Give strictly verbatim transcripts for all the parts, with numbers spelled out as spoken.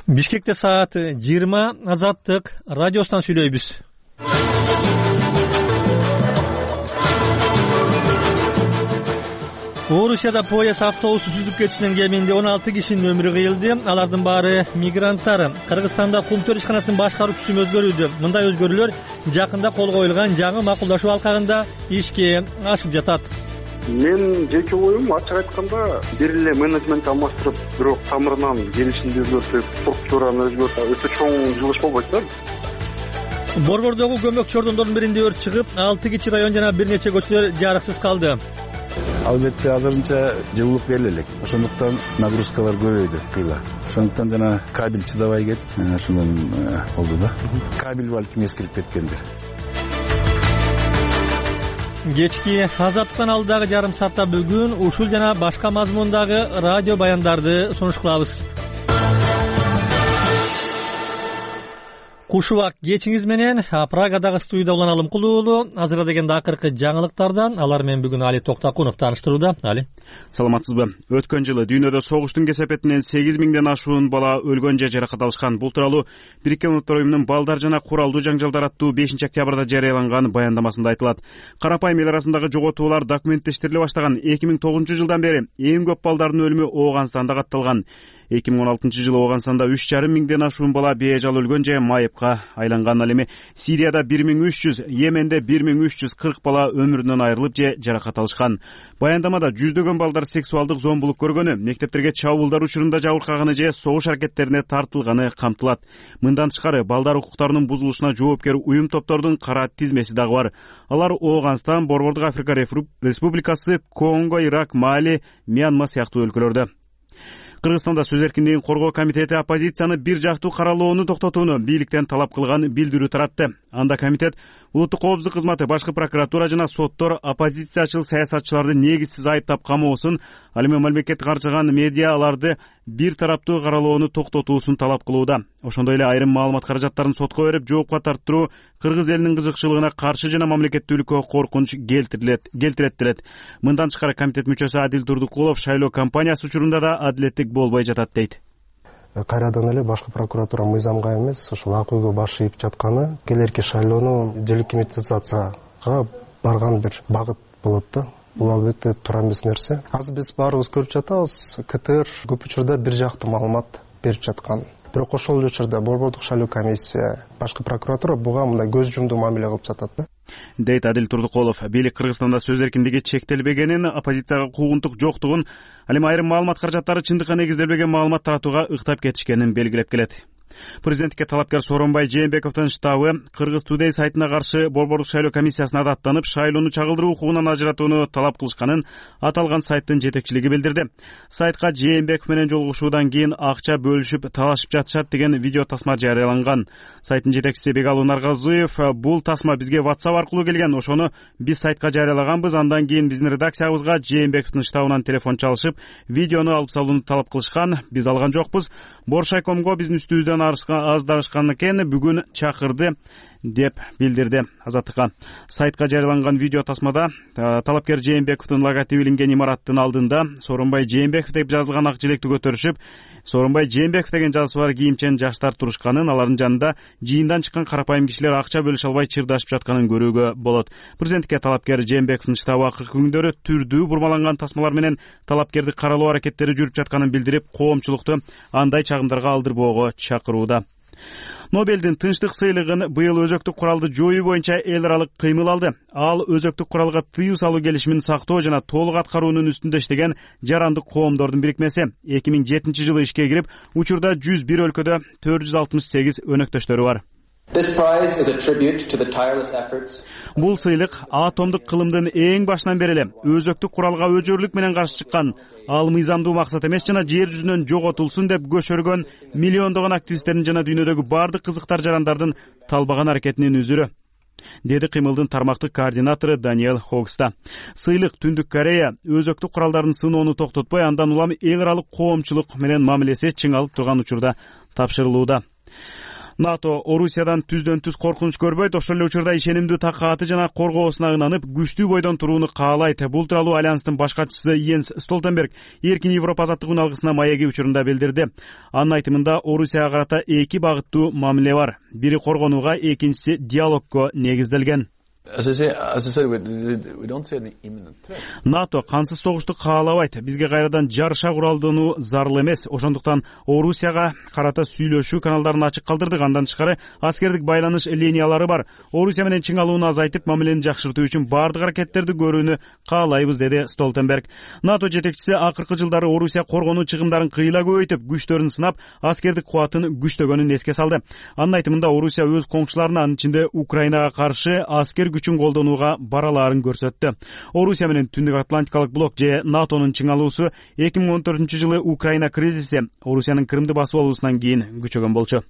Бишкекте саат жыйырма. Азаттык радиосунан сүйлөйбүз. Орусияда поезд автобусу сүзүп кетүүнүн кеминде он алты кишинин өмүрү кыйылды. Алардын баары мигранттар. Кыргызстанда Кумтөр ишканасынын башкаруу түзүмү өзгөрүүдө. Мындай өзгөрүүлөр жакында кол коюлган жаңы макулдашуу алкагында ишке ашып жатат. Мен жеке оюм ачык айтканда бир эле менеджмент алмаштырып, бирок тамырынан келишимди өзгөртүп, структураны өзгөртүп, өтө чоң жылыш болбойт да. Борбордогу көмөк чордондордун биринде өрт чыгып, алты кичи район жана бир нече көчөлөр жарыксыз калды. Албетте азырынча жылуулук бериле элек. Ошондуктан нагрузкалар көбөйдү кыйла. Ошондуктан жана кабель чыдабай кетип, ошондон болду да. Кабель балким эскирип кеткендир. Кечки Азаттыктан алдагы жарым саатта бүгүн ушул жана башка мазмундагы радио баяндарды сунуш кылабыз. Кушубак кечиңиз менен Прагадагы студияда улан Алымкул уулу азырда дегенде акыркы жаңылыктардан алар менен бүгүн Али Токтакунов тааныштырууда. Али, саламатсызбы? Өткөн жылы дүйнөдө согуштун кесепетинен сегиз миңден ашуун бала өлгөн же жаракат алышкан. Бул тууралуу Бириккен Улуттар уюмунун балдар жана куралдуу жаңжалдар аттуу бешинчи октябрда жарыяланган баяндамасында айтылат. Карапайым эл арасындагы жоготуулар документтештириле баштаган. эки миң тогузунчу жылдан бери эң көп балдардын өлүмү Ооганстанда катталган. эки миң он алтынчы жылы Ооганстанда үч жарым миңден ашуун бала бейжал өлгөн же майыпка айланган. Ал эми Сирияда бир миң үч жүз, Йеменде бир миң үч жүз кырк бала өмүрүнөн айрылып же жаракат алышкан. Баяндамада жүздөгөн балдар сексуалдык зомбулук көргөнү, мектептерге чабуулдар учурунда жабыркаганы же согуш аракеттерине тартылганы камтылат. Мындан тышкары балдар укуктарынын бузулушуна жоопкер уюм топтордун кара тизмеси дагы бар. Алар Ооганстан, Борбордук Африка Республикасы, Конго, Ирак, Мали, Мьянма сыяктуу өлкөлөрдө. Кыргызстанда сөз эркиндигин коргоо комитети оппозицияны бир жактуу каралоону токтотууну бийликтен талап кылган билдирүү таратты. Анда комитет улуттук коопсуздук кызматы, башкы прокуратура жана соттор оппозициячыл саясатчыларды негизсиз айыптап камоосун, ал эми мамлекетти каржыган медиа аларды бир тараптуу каралоону токтотуусун талап кылууда. Ошондой эле айрым маалымат каражаттарын сотко берип, жоопко тарттыруу кыргыз элинин кызыкчылыгына каршы жана мамлекеттүүлүккө коркунуч келтирилет келтирет делет. Мындан тышкары комитет мүчөсү Адил Турдукулов шайлоо кампаниясы учурунда да адилеттик болбой жатат дейт. Кайрадан эле башкы прокуратура мыйзамга эмес, ушул ак үйгө баш ийип жатканы келерки шайлоону делегитимизацияга барган бир багыт болот да. Бул албетте туура эмес нерсе. Азыр биз баарыбыз көрүп жатабыз, КТР көп учурда бир жактуу маалымат берип жаткан. Бирок ошол эле учурда борбордук шайлоо комиссия, башкы прокуратура буга мындай көз жумдуу мамиле кылып жатат да. Дейт Адил Турдукулов. Бийлик Кыргызстанда сөз эркиндиги чектелбегенин, оппозицияга куугунтук жоктугун, ал эми айрым маалымат каражаттары чындыкка негизделбеген маалымат таратууга ыктап кетишкенин белгилеп келет. Президенттикке талапкер Сооронбай Жээнбековдун штабы Кыргыз Today сайтына каршы борбордук шайлоо комиссиясына даттанып, шайлоону чагылдыруу укугунан ажыратууну талап кылышканын аталган сайттын жетекчилиги билдирди. Сайтка Жээнбеков менен жолугушуудан кийин акча бөлүшүп, талашып жатышат деген видео тасма жарыяланган. Сайттын жетекчиси Бегалуу Наргазыев: "Бул тасма бизге WhatsApp аркылуу келген. Ошону биз сайтка жарыялаганбыз. Андан кийин биздин редакциябызга Жээнбековдун штабынан телефон чалышып, видеону алып салууну талап кылышкан. Биз алган жокпуз. Боршайкомго биздин үстүбүздөн аздарышкан экен, бүгүн чакырды", деп билдирди Азаттыкка. Сайтка жарыяланган видео тасмада талапкер Жээнбековдун логотиби илинген имараттын алдында Сооронбай Жээнбеков деп жазылган ак желекти көтөрүшүп, Сооронбай Жээнбеков деген жазуусу бар кийимчен жаштар турушканын, алардын жанында жыйындан чыккан карапайым кишилер акча бөлүшө албай чырдашып жатканын көрүүгө болот. Президенттикке талапкер Жээнбековдун штабы акыркы күндөрү түрдүү бурмаланган тасмалар менен талапкерди каралоо аракеттери жүрүп жатканын билдирип, коомчулукту андай чагымдарга алдырбоого чакырууда. Нобелдин тынчтык сыйлыгын быйыл өзөктүк куралды жоюу боюнча эл аралык кыймыл алды. Ал өзөктүк куралга тыюу салуу келишимин сактоо жана толук аткаруунун үстүндө иштеген жарандык коомдордун бирикмеси. эки миң жетинчи жылы ишке кирип, учурда жүз бир өлкөдө төрт жүз алтымыш сегиз өнөктөштөрү бар. Бул сыйлык атомдук кылымдын эң башынан бери эле өзөктүк куралга өжөрлүк менен каршы чыккан, ал мыйзамдуу максат эмес жана жер жүзүнөн жоготулсун деп көшөргөн миллиондогон активисттердин жана дүйнөдөгү бардык кызыктар жарандардын талбаган аракетинин үзүрү, деди кыймылдын тармактык координатору Даниэл Хогста. Сыйлык Түндүк Корея өзөктүк куралдардын сыноону токтотпой, андан улам эл аралык коомчулук менен мамилеси чыңалып турган учурда тапшырылууда. НАТО Орусиядан түздөн түз коркунуч көрбөйт, ошол эле учурда ишенимдүү такааты жана коргоосуна ынанып күчтүү бойдон турууну каалайт. Бул тууралуу Альянстын баш катчысы Йенс Столтенберг Эркин Европа азаттык үналгысына Маяги учурунда билдирди. Анын айтымында Орусияга карата эки багыттуу мамиле бар. Бири коргонууга, экинчиси диалогго негизделген. НАТО кансыз согушту каалабайт. Бизге кайрадан жарыша куралдануу зарыл эмес. Ошондуктан Орусияга карата сүйлөшүү каналдарын ачык калтырдык. Андан тышкары аскердик байланыш линиялары бар. Орусия менен чыңалууну азайтып, мамилени жакшыртуу үчүн бардык аракеттерди көрүүнү каалайбыз, деди Столтенберг. НАТО жетекчиси акыркы жылдары Орусия коргонуу чыгымдарын кыйла көбөйтүп, күчтөрүн сынап, аскердик кубатын күчтөгөнүн эске салды. Анын айтымында Орусия өз коңшуларына, анын ичинде Украинага каршы аскер күчүн колдонууга баралаарын көрсөттү. Орусия менен Түндүк Атлантикалык блок же НАТОнун чыңалуусу эки миң он төртүнчү жылы Украина кризиси Орусиянын Крымды басып алуусунан кийин күчөгөн болчу.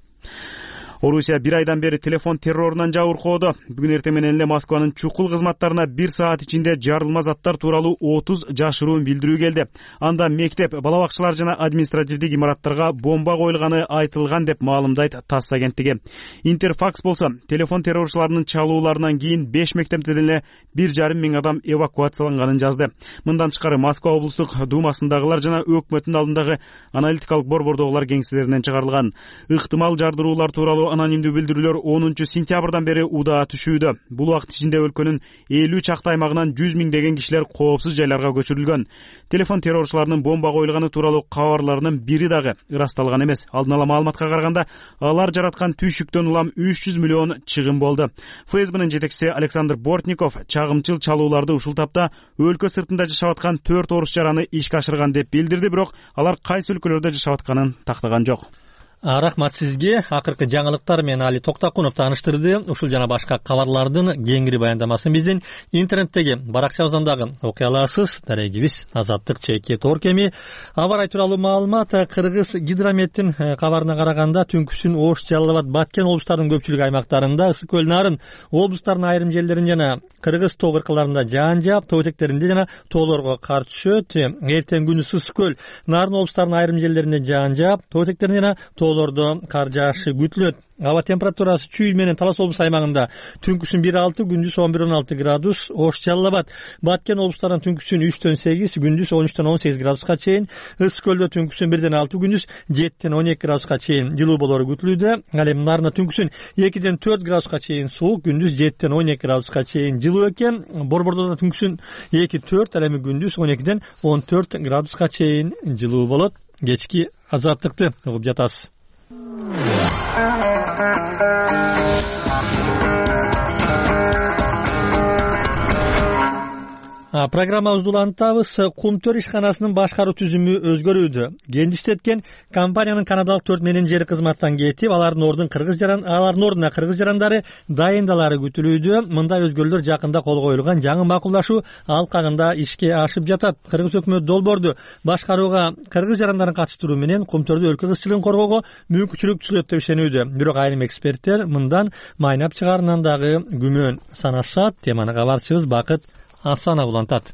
Орусия бир айдан бери телефон террорунан жабыркоодо. Бүгүн эртең менен эле Москванын чукул кызматтарына бир саат ичинде жарылма заттар тууралуу отуз жашыруун билдирүү келди. Анда мектеп, бала бакчалар жана административдик имараттарга бомба коюлганы айтылган деп маалымдайт ТАСС агенттиги. Интерфакс болсо, телефон террорчуларынын чалууларынан кийин беш мектептен эле бир жарым миң адам эвакуацияланганын жазды. Мындан тышкары Москва облустук думасындагылар жана өкмөттүн алдындагы аналитикалык борбордогулар кеңселеринен чыгарылган. Ыктымал жардыруулар тууралуу анонимдүү билдирүүлөр онунчу сентябрдан бери удаа түшүүдө. Бул убакыт ичинде өлкөнүн элүү чакты аймагынан жүз миңдеген кишилер коопсуз жайларга көчүрүлгөн. Телефон террорчуларынын бомба коюлганы тууралуу кабарларынын бири дагы ырасталган эмес. Алдын ала маалыматка караганда, алар жараткан түйшүктөн улам үч жүз миллион чыгым болду. ФСБнын жетекчиси Александр Бортников чагымчыл чалууларды ушул тапта өлкө сыртында жашап аткан төрт орус жараны ишке ашырган деп билдирди, бирок алар кайсы өлкөлөрдө жашап атканын тактаган жок. Рахмат сизге. Акыркы жаңылыктар менен Али Токтакунов тааныштырды. Ушул жана башка кабарлардын кеңири баяндамасын биздин интернеттеги баракчабыздан дагы окуй аласыз. Дарегибиз Азаттык чекит Орг эми аба ырайы тууралуу маалымат Кыргыз гидрометтин кабарына караганда түнкүсүн Ош, Жалал Абад, Баткен облустарынын көпчүлүк аймактарында, Ысык көл, Нарын облустарынын айрым жерлерин жана Кыргыз тоо кыркаларында жаан жаап, тоо этектеринде жана тоолорго кар түшөт. Эртең күнү Ысык көл, Нарын облустарынын айрым жерлеринде жаан жаап, тоо этектеринде жана тоолордо кар жаашы күтүлөт. Аба температурасы Чүй менен Талас облус аймагында түнкүсүн бир алты, күндүз он бир он алты градус. Ош, Жалал Абад, Баткен облустарынан түнкүсүн үчтөн сегиз, күндүз он үчтөн он сегиз градуска чейин. Ысык көлдө түнкүсүн бирден алты, күндүз жеттен он эки градуска чейин жылуу болору күтүлүүдө. Ал эми Нарында түнкүсүн экиден төрт градуска чейин суук, күндүз жеттен он эки градуска чейин жылуу экен. Борбордо түнкүсүн эки төрт, ал эми күндүз он экиден он төрт градуска чейин жылуу болот. Кечки азаттыкты угуп жатасыз. Программабызды улантабыз. Кумтөр ишканасынын башкаруу түзүмү өзгөрүүдө. Гендиштеткен компаниянын канадалык төрт менеджери кызматтан кетип, алардын ордун кыргыз жаран, алардын ордуна кыргыз жарандары дайындалары күтүлүүдө. Мындай өзгөрүүлөр жакында кол коюлган жаңы макулдашуу алкагында ишке ашып жатат. Кыргыз өкмөтү долбоорду башкарууга кыргыз жарандарын катыштыруу менен Кумтөрдө өлкө кызчылыгын коргоого мүмкүнчүлүк түзүлөт деп ишенүүдө. Бирок айрым эксперттер мындан майнап чыгаарынан дагы күмөн санашат. Теманы кабарчыбыз Бакыт Асанов улантат.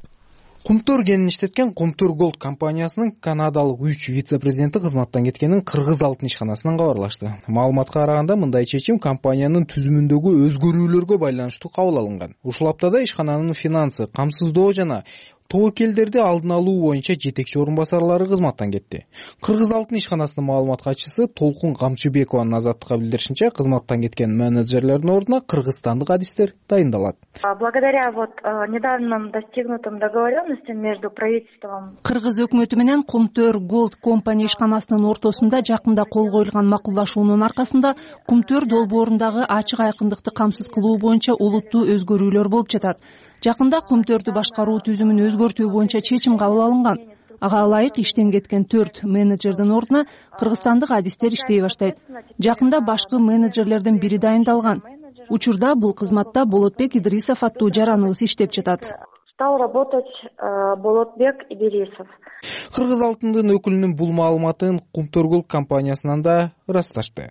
Кумтөр кенин иштеткен Кумтөр Голд компаниясынын канадалык үч вице-президенти кызматтан кеткенин Кыргыз алтын ишканасынан кабарлашты. Маалыматка караганда, мындай чечим компаниянын түзүмүндөгү өзгөрүүлөргө байланыштуу кабыл алынган. Ушул аптада ишкананын финансы, камсыздоо жана тобокелдерди алдын алуу боюнча жетекчи орун басарлары кызматтан кетти. Кыргыз алтын ишканасынын маалымат катчысы Толкун Камчыбекованын Азаттыкка билдиришинче, кызматтан кеткен менеджерлердин ордуна кыргызстандык адистер дайындалат. Благодаря вот недавним достигнутым договоренностям между правительством Кыргыз өкмөтү менен Кумтөр Голд компания ишканасынын ортосунда жакында кол коюлган макулдашуунун аркасында Кумтөр долбоорундагы ачык айкындыкты камсыз кылуу боюнча олуттуу өзгөрүүлөр болуп жатат. Жакында Кумтөрдү башкаруу түзүмүн өзгөртүү боюнча чечим кабыл алынган. Ага ылайык иштен кеткен төрт менеджердин ордуна кыргызстандык адистер иштей баштайт. Жакында башкы менеджерлердин бири дайындалган. Учурда бул кызматта Болотбек Идрисов аттуу жараныбыз иштеп жатат. Стал работать Болотбек Идрисов. Кыргыз алтындын өкүлүнүн бул маалыматын Кумтөр Голд компаниясынан да ырасташты.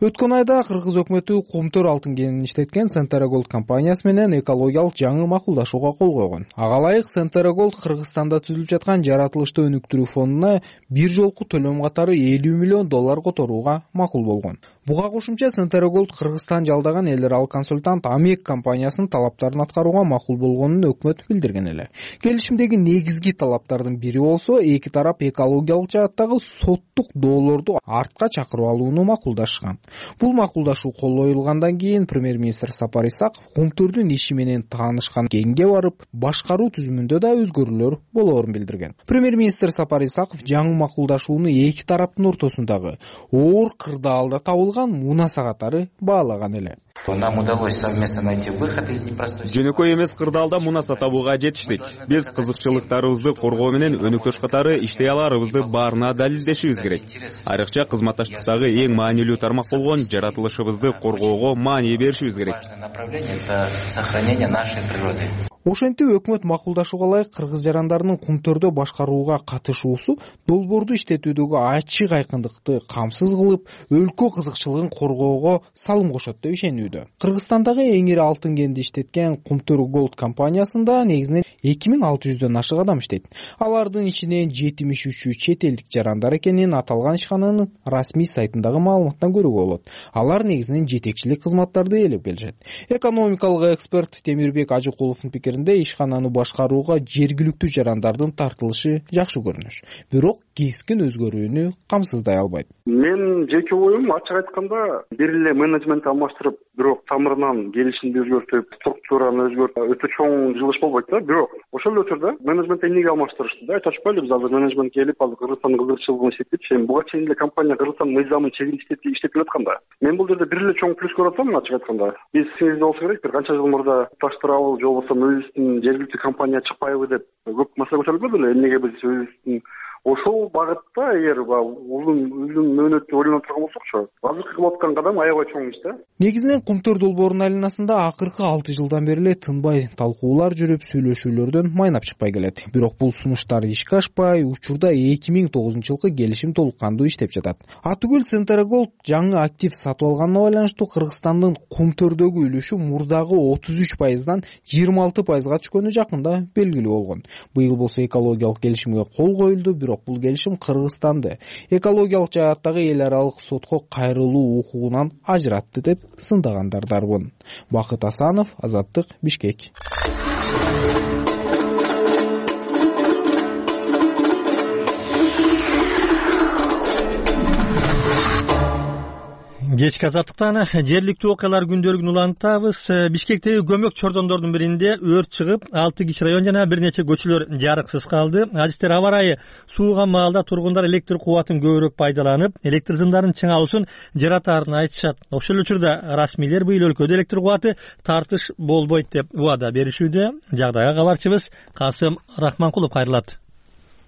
Өткөн айда кыргыз өкмөтү кумтөр алтын кенин иштеткен Centergold компаниясы менен экологиялык жаңы макулдашууга кол койгон. Ага ылайык Centergold Кыргызстанда түзүлүп жаткан жаратылышты өнүктүрүү фондуна бир жолку төлөм катары элүү миллион доллар которууга макул болгон. Буга кошумча Centergold Кыргызстан жалдаган эл аралык консультант Амек компаниясынын талаптарын аткарууга макул болгонун өкмөт билдирген эле. Келишимдеги негизги талаптардын бири болсо, эки тарап экологиялык жааттагы соттук доолорду артка чакырып алууну макулдашкан. Бул макулдашуу кол коюлгандан кийин премьер-министр Сапар Исаков кумтөрдүн иши менен таанышкан кеңге барып, башкаруу түзүмүндө да өзгөрүүлөр болоорун билдирген. Премьер-министр Сапар Исаков жаңы макулдашууну эки тараптын ортосундагы оор кырдаалда табылган мунаса катары баалаган эле. Нам удалось совместно найти выход из непростой ситуации. Жөнөкөй эмес кырдаалда мунаса табууга жетиштик. Биз кызыкчылыктарыбызды коргоо менен өнөктөш катары иштей аларыбызды баарына далилдешибиз керек. Айрыкча кызматташтыктагы эң маанилүү тармак болгон жаратылышыбызды коргоого маани беришибиз керек. Направление — это сохранение нашей природы. Ошентип өкмөт макулдашууга ылайык кыргыз жарандарынын кумтөрдө башкарууга катышуусу долбоорду иштетүүдөгү ачык айкындыкты камсыз кылып, өлкө кызыкчылыгын коргоого салым кошот деп ишенүүдө. Кыргызстандагы эң ири алтын кенди иштеткен Кумтөр Gold компаниясында негизинен эки миң алты жүздөн ашык адам иштейт. Алардын ичинен жетимиш үчү чет элдик жарандар экенин аталган ишкананын расмий сайтындагы маалыматтан көрүүгө болот. Алар негизинен жетекчилик кызматтарды ээлеп келишет. Экономикалык эксперт Темирбек Ажыкуловдун пикиринде ишкананы башкарууга жергиликтүү жарандардын тартылышы жакшы көрүнүш. Бирок кескин өзгөрүүнү камсыздай албайт. Мен жеке оюм ачык айтканда бир эле менеджмент алмаштырып, бирок тамырынан келишимди өзгөртүп, структураны өзгөртүп, өтө чоң жылыш болбойт да. Бирок ошол учурда менеджментти эмнеге алмаштырышты да? Айтып атпайлы, биз азыр менеджмент келип, азыр Кыргызстандын кызыкчылыгын иштетип, сен буга чейин эле компания Кыргызстан мыйзамын чегин иштетип иштеп келатканда. Мен бул жерде бир эле чоң плюс көрүп атам, ачык айтканда. Биз сиңизде болсо керек, бир канча жыл мурда таштырабы, же болбосо өзүбүздүн жергиликтүү компания чыкпайбы деп көп маселе көтөрүлбөдү эле. Эмнеге биз өзүбүздүн ошол багытта эгер узун узун мөөнөттү ойлонуп турган болсокчу, азыркы кылып аткан кадам аябай чоң иш да. Негизинен Кумтөр долбоорунун айланасында акыркы алты жылдан бери эле тынбай талкуулар жүрүп, сүйлөшүүлөрдөн майнап чыкпай келет. Бирок бул сунуштар ишке ашпай, учурда эки миң тогузунчу жылкы келишим толук кандуу иштеп жатат. Атүгүл Centergold жаңы актив сатып алганына байланыштуу Кыргызстандын Кумтөрдөгү үлүшү мурдагы отуз үч пайыздан жыйырма алты пайызга түшкөнү жакында белгилүү болгон. Быйыл болсо экологиялык келишимге кол коюлду, бирок бул келишим Кыргызстанды экологиялык жааттагы эл аралык сотко кайрылуу укугунан ажыратты деп сындагандар дарбын. Бакыт Асанов, Азаттык, Бишкек. Кечки Азаттыктан жергиликтүү окуялар күндөлүгүн улантабыз. Бишкектеги көмөк чордондордун биринде өрт чыгып, алты киши район жана бир нече көчөлөр жарыксыз калды. Адистер аба ырайы сууган маалда тургундар электр кубатын көбүрөөк пайдаланып, электр сымдарын чыңалуусун жаратаарын айтышат. Ошол эле учурда расмийлер быйыл өлкөдө электр кубаты тартыш болбойт деп убада беришүүдө. Жагдайга кабарчыбыз Касым Рахманкулов кайрылат.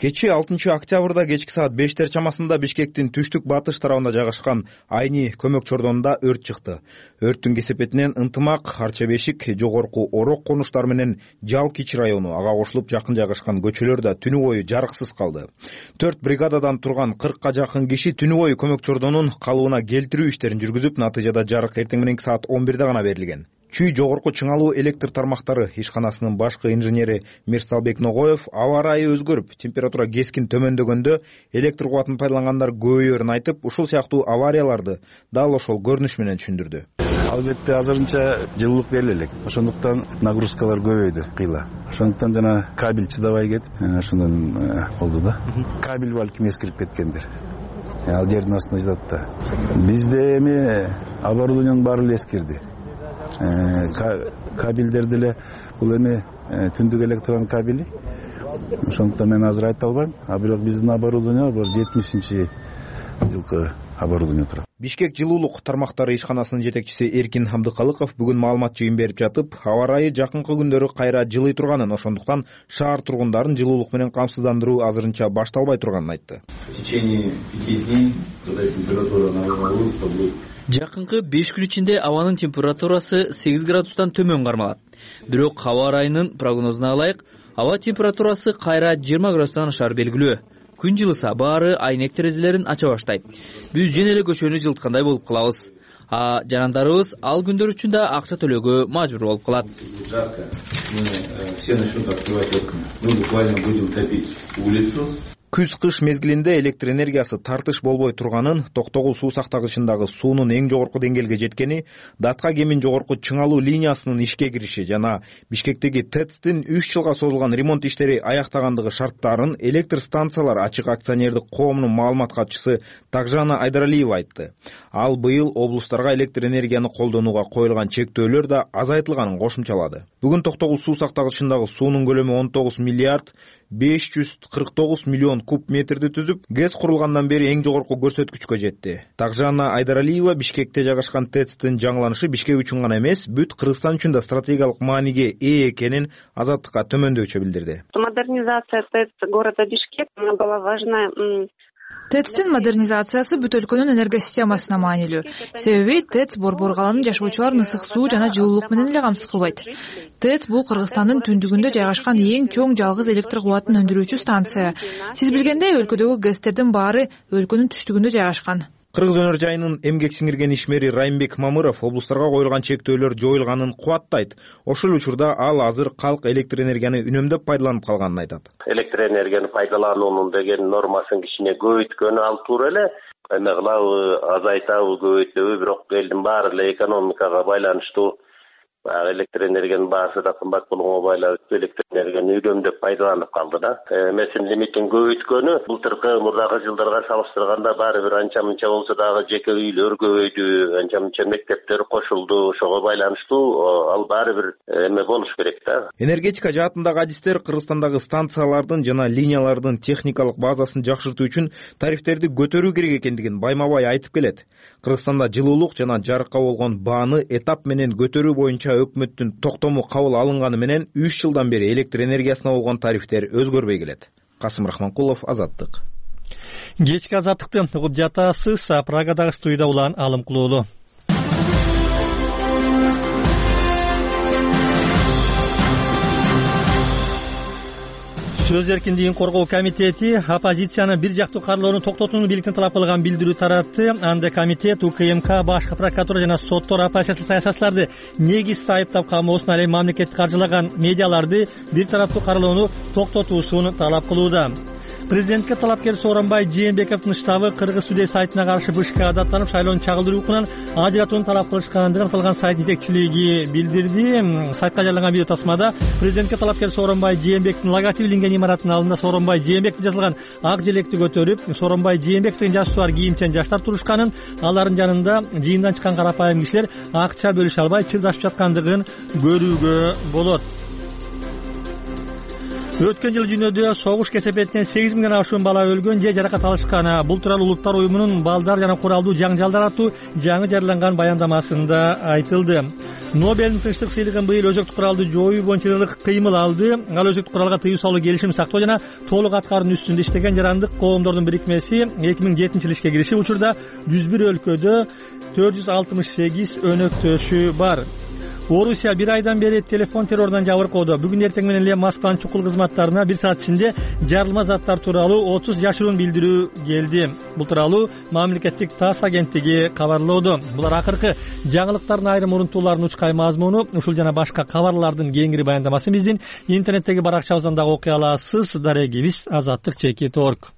Кечи алтынчы октябрда кечки саат бештер чамасында Бишкектин түштүк батыш тарабында жайгашкан Айни көмөк чордонунда өрт чыкты. Өрттүн кесепетинен Ынтымак, Арча бешик, Жогорку Орок конуштары менен Жал Кичи району, ага кошулуп жакын жайгашкан көчөлөр да түнү бою жарыксыз калды. төрт бригададан турган кыркка жакын киши түнү бою көмөк чордонун калыбына келтирүү иштерин жүргүзүп, натыйжада жарык эртең мененки саат он бирде гана берилген. Чүй жогорку чыңалуу электр тармактары ишканасынын башкы инженери Мирсалбек Ногоев аба ырайы өзгөрүп, температура кескин төмөндөгөндө электр кубатын пайдалангандар көбөйөөрүн айтып, ушул сыяктуу аварияларды дал ошол көрүнүш менен түшүндүрдү. Албетте азырынча жылуулук бериле элек. Ошондуктан нагрузкалар көбөйдү кыйла. Ошондуктан жана кабель чыдабай кетип, ошондон болду да. Кабель балким эскирип кеткендир. Ал жердин астында жатат да. Бизде эми оборудованиянын баары эле эскирди. Кабелдер деле бул эми түндүк электрон кабели. Ошондуктан мен азыр айта албайм. А бирок биздин оборудование бар жетимишинчи жылкы оборудование турат. Бишкек жылуулук тармактары ишканасынын жетекчиси Эркин Абдыкалыков бүгүн маалымат жыйын берип жатып, аба ырайы жакынкы күндөрү кайра жылый турганын, ошондуктан шаар тургундарын жылуулук менен камсыздандыруу азырынча башталбай турганын айтты. В течение пяти дней, когда температура нормализуется, то будет жакынкы беш күн ичинде абанын температурасы сегиз градустан төмөн кармалат. Бирок аба ырайынын прогнозуна ылайык, аба температурасы кайра жыйырма градустан ашаар белгилүү. күн жылыса баары айнек терезелерин ача баштайт. Биз жөн эле көчөнү жылыткандай болуп калабыз. А жанандарыбыз ал күндөр үчүн да акча төлөөгө мажбур болуп калат. Жарко. Мы все начнут открывать окна. Мы буквально будем топить улицу. Күз-кыш мезгилинде электр энергиясы тартыш болбой турганын, Токтогул суу сактагычындагы суунун эң жогорку деңгээлге жеткени, Датка кемин жогорку чыңалуу линиясынын ишке кириши жана Бишкектеги ТЭЦтин үч жылга созулган ремонт иштери аяктагандыгы шарттарын Электр станциялар ачык акционердик коомунун маалымат катчысы Такжана Айдаралиева айтты. Ал быйыл облустарга электр энергияны колдонууга коюлган чектөөлөр да азайтылганын кошумчалады. Бүгүн Токтогул суу сактагычындагы суунун көлөмү он тогуз миллиард беш жүз кырк тогуз миллион куб метрди түзүп, ГЭС курулгандан бери эң жогорку көрсөткүчкө жетти. Такжана Айдаралиева Бишкекте жайгашкан ТЭЦтин жаңыланышы Бишкек үчүн гана эмес, бүт Кыргызстан үчүн да стратегиялык мааниге ээ экенин Азаттыкка төмөндөчө билдирди. Модернизация ТЭЦ города Бишкек была важна. ТЭЦтин модернизациясы бүт өлкөнүн энергосистемасына маанилүү. Себеби ТЭЦ Борбор каланын жашоочуларын ысык суу жана жылуулук менен эле камсыз кылбайт. ТЭЦ бул Кыргызстандын түндүгүндө жайгашкан эң чоң жалгыз электр кубатын өндүрүүчү станция. Сиз билгендей, өлкөдөгү ГЭСтердин баары өлкөнүн түштүгүндө жайгашкан. Кыргыз өнөр жайынын эмгек сиңирген ишмери Райымбек Мамыров облустарга коюлган чектөөлөр жоюлганын кубаттайт. Ошол учурда ал азыр калк электр энергияны үнөмдөп пайдаланып калганын айтат. Электр энергияны пайдалануунун деген нормасын кичине көбөйткөнү ал туура эле. Эме кылабы, азайтабы, көбөйтөбү, бирок элдин баары эле экономикага байланыштуу. Электр энергиянын баасы да кымбат болгонго байланыштуу электр энергияны үнөмдөп пайдаланып калды да. Эмесин лимитин көбөйткөнү былтыркы мурдагы жылдарга салыштырганда баары бир анча мынча болсо дагы жеке үйлөр көбөйдү, анча мынча мектептер кошулду, ошого байланыштуу ал баары бир эме болуш керек да. Энергетика жаатындагы адистер Кыргызстандагы станциялардын жана линиялардын техникалык базасын жакшыртуу үчүн тарифтерди көтөрүү керек экендигин байма-бай айтып келет. Кыргызстанда жылуулук жана жарыкка болгон бааны этап менен көтөрүү боюнча өкмөттүн токтому кабыл алынганы менен үч жылдан бери электр энергиясына болгон тарифтер өзгөрбөй келет. Касым Рахманкулов, Азаттык. Кечки Азаттыкты угуп жатасыз. Прагадагы студияда улан Алым Кулуулу. Сөз эркиндигин коргоо комитети оппозициянын бир жактуу карлоону токтотууну бийликтен талап кылган билдирүү таратты. Анда комитет УКМК, башкы прокуратура жана соттор оппозициялык саясатчыларды негизсиз айыптап камоосуна, ал эми мамлекетти каржылаган медиаларды бир тараптуу карлоону токтотуусун талап кылууда. Президентке талапкер Сооронбай Жээнбековдун штабы Кыргыз Today сайтына каршы БШК даттанып, шайлоону чагылдыруу укугунан ажыратууну талап кылышкандыгын аталган сайт жетекчилиги билдирди. Сайтка жарыяланган видео тасмада президентке талапкер Сооронбай Жээнбековдун логотиби иленген имараттын алдында Сооронбай Жээнбеков жазылган ак желекти көтөрүп, Сооронбай Жээнбеков деген жаш туар кийимчен жаштар турушканын, алардын жанында жыйындан чыккан карапайым кишилер акча бөлүшө албай чырдашып жаткандыгын көрүүгө болот. Өткөн жыл дүйнөдө согуш кесепетинен сегиз миңден ашуун бала өлгөн же жаракат алышкан. Бул тууралуу Улуттар уюмунун балдар жана куралдуу жаңжалдар аттуу жаңы жарыяланган баяндамасында айтылды. Нобелдин тынчтык сыйлыгын быйыл өзөктүк куралды жоюу боюнча ылык кыймыл алды. Ал өзөктүк куралга тыюу салуу, келишим сактоо жана толук аткаруунун үстүндө иштеген жарандык коомдордун бирикмеси эки миң жетинчи жылы ишке киришип, учурда жүз бир өлкөдө төрт жүз алтымыш сегиз өнөктөшү бар. Орусия бир айдан бери телефон террорунан жабыркоодо. Бүгүн эртең менен эле Москванын чукул кызматтарына бир саат ичинде жарылма заттар тууралуу отуз жашыруун билдирүү келди. Бул тууралуу мамлекеттик ТАСС агенттиги кабарлоодо. Булар акыркы жаңылыктардын айрым урунтууларынын учкай мазмуну. Ушул жана башка кабарлардын кеңири баяндамасын биздин интернеттеги баракчабыздан дагы окуй аласыз. Дарегибиз Азаттык чекит точка орг.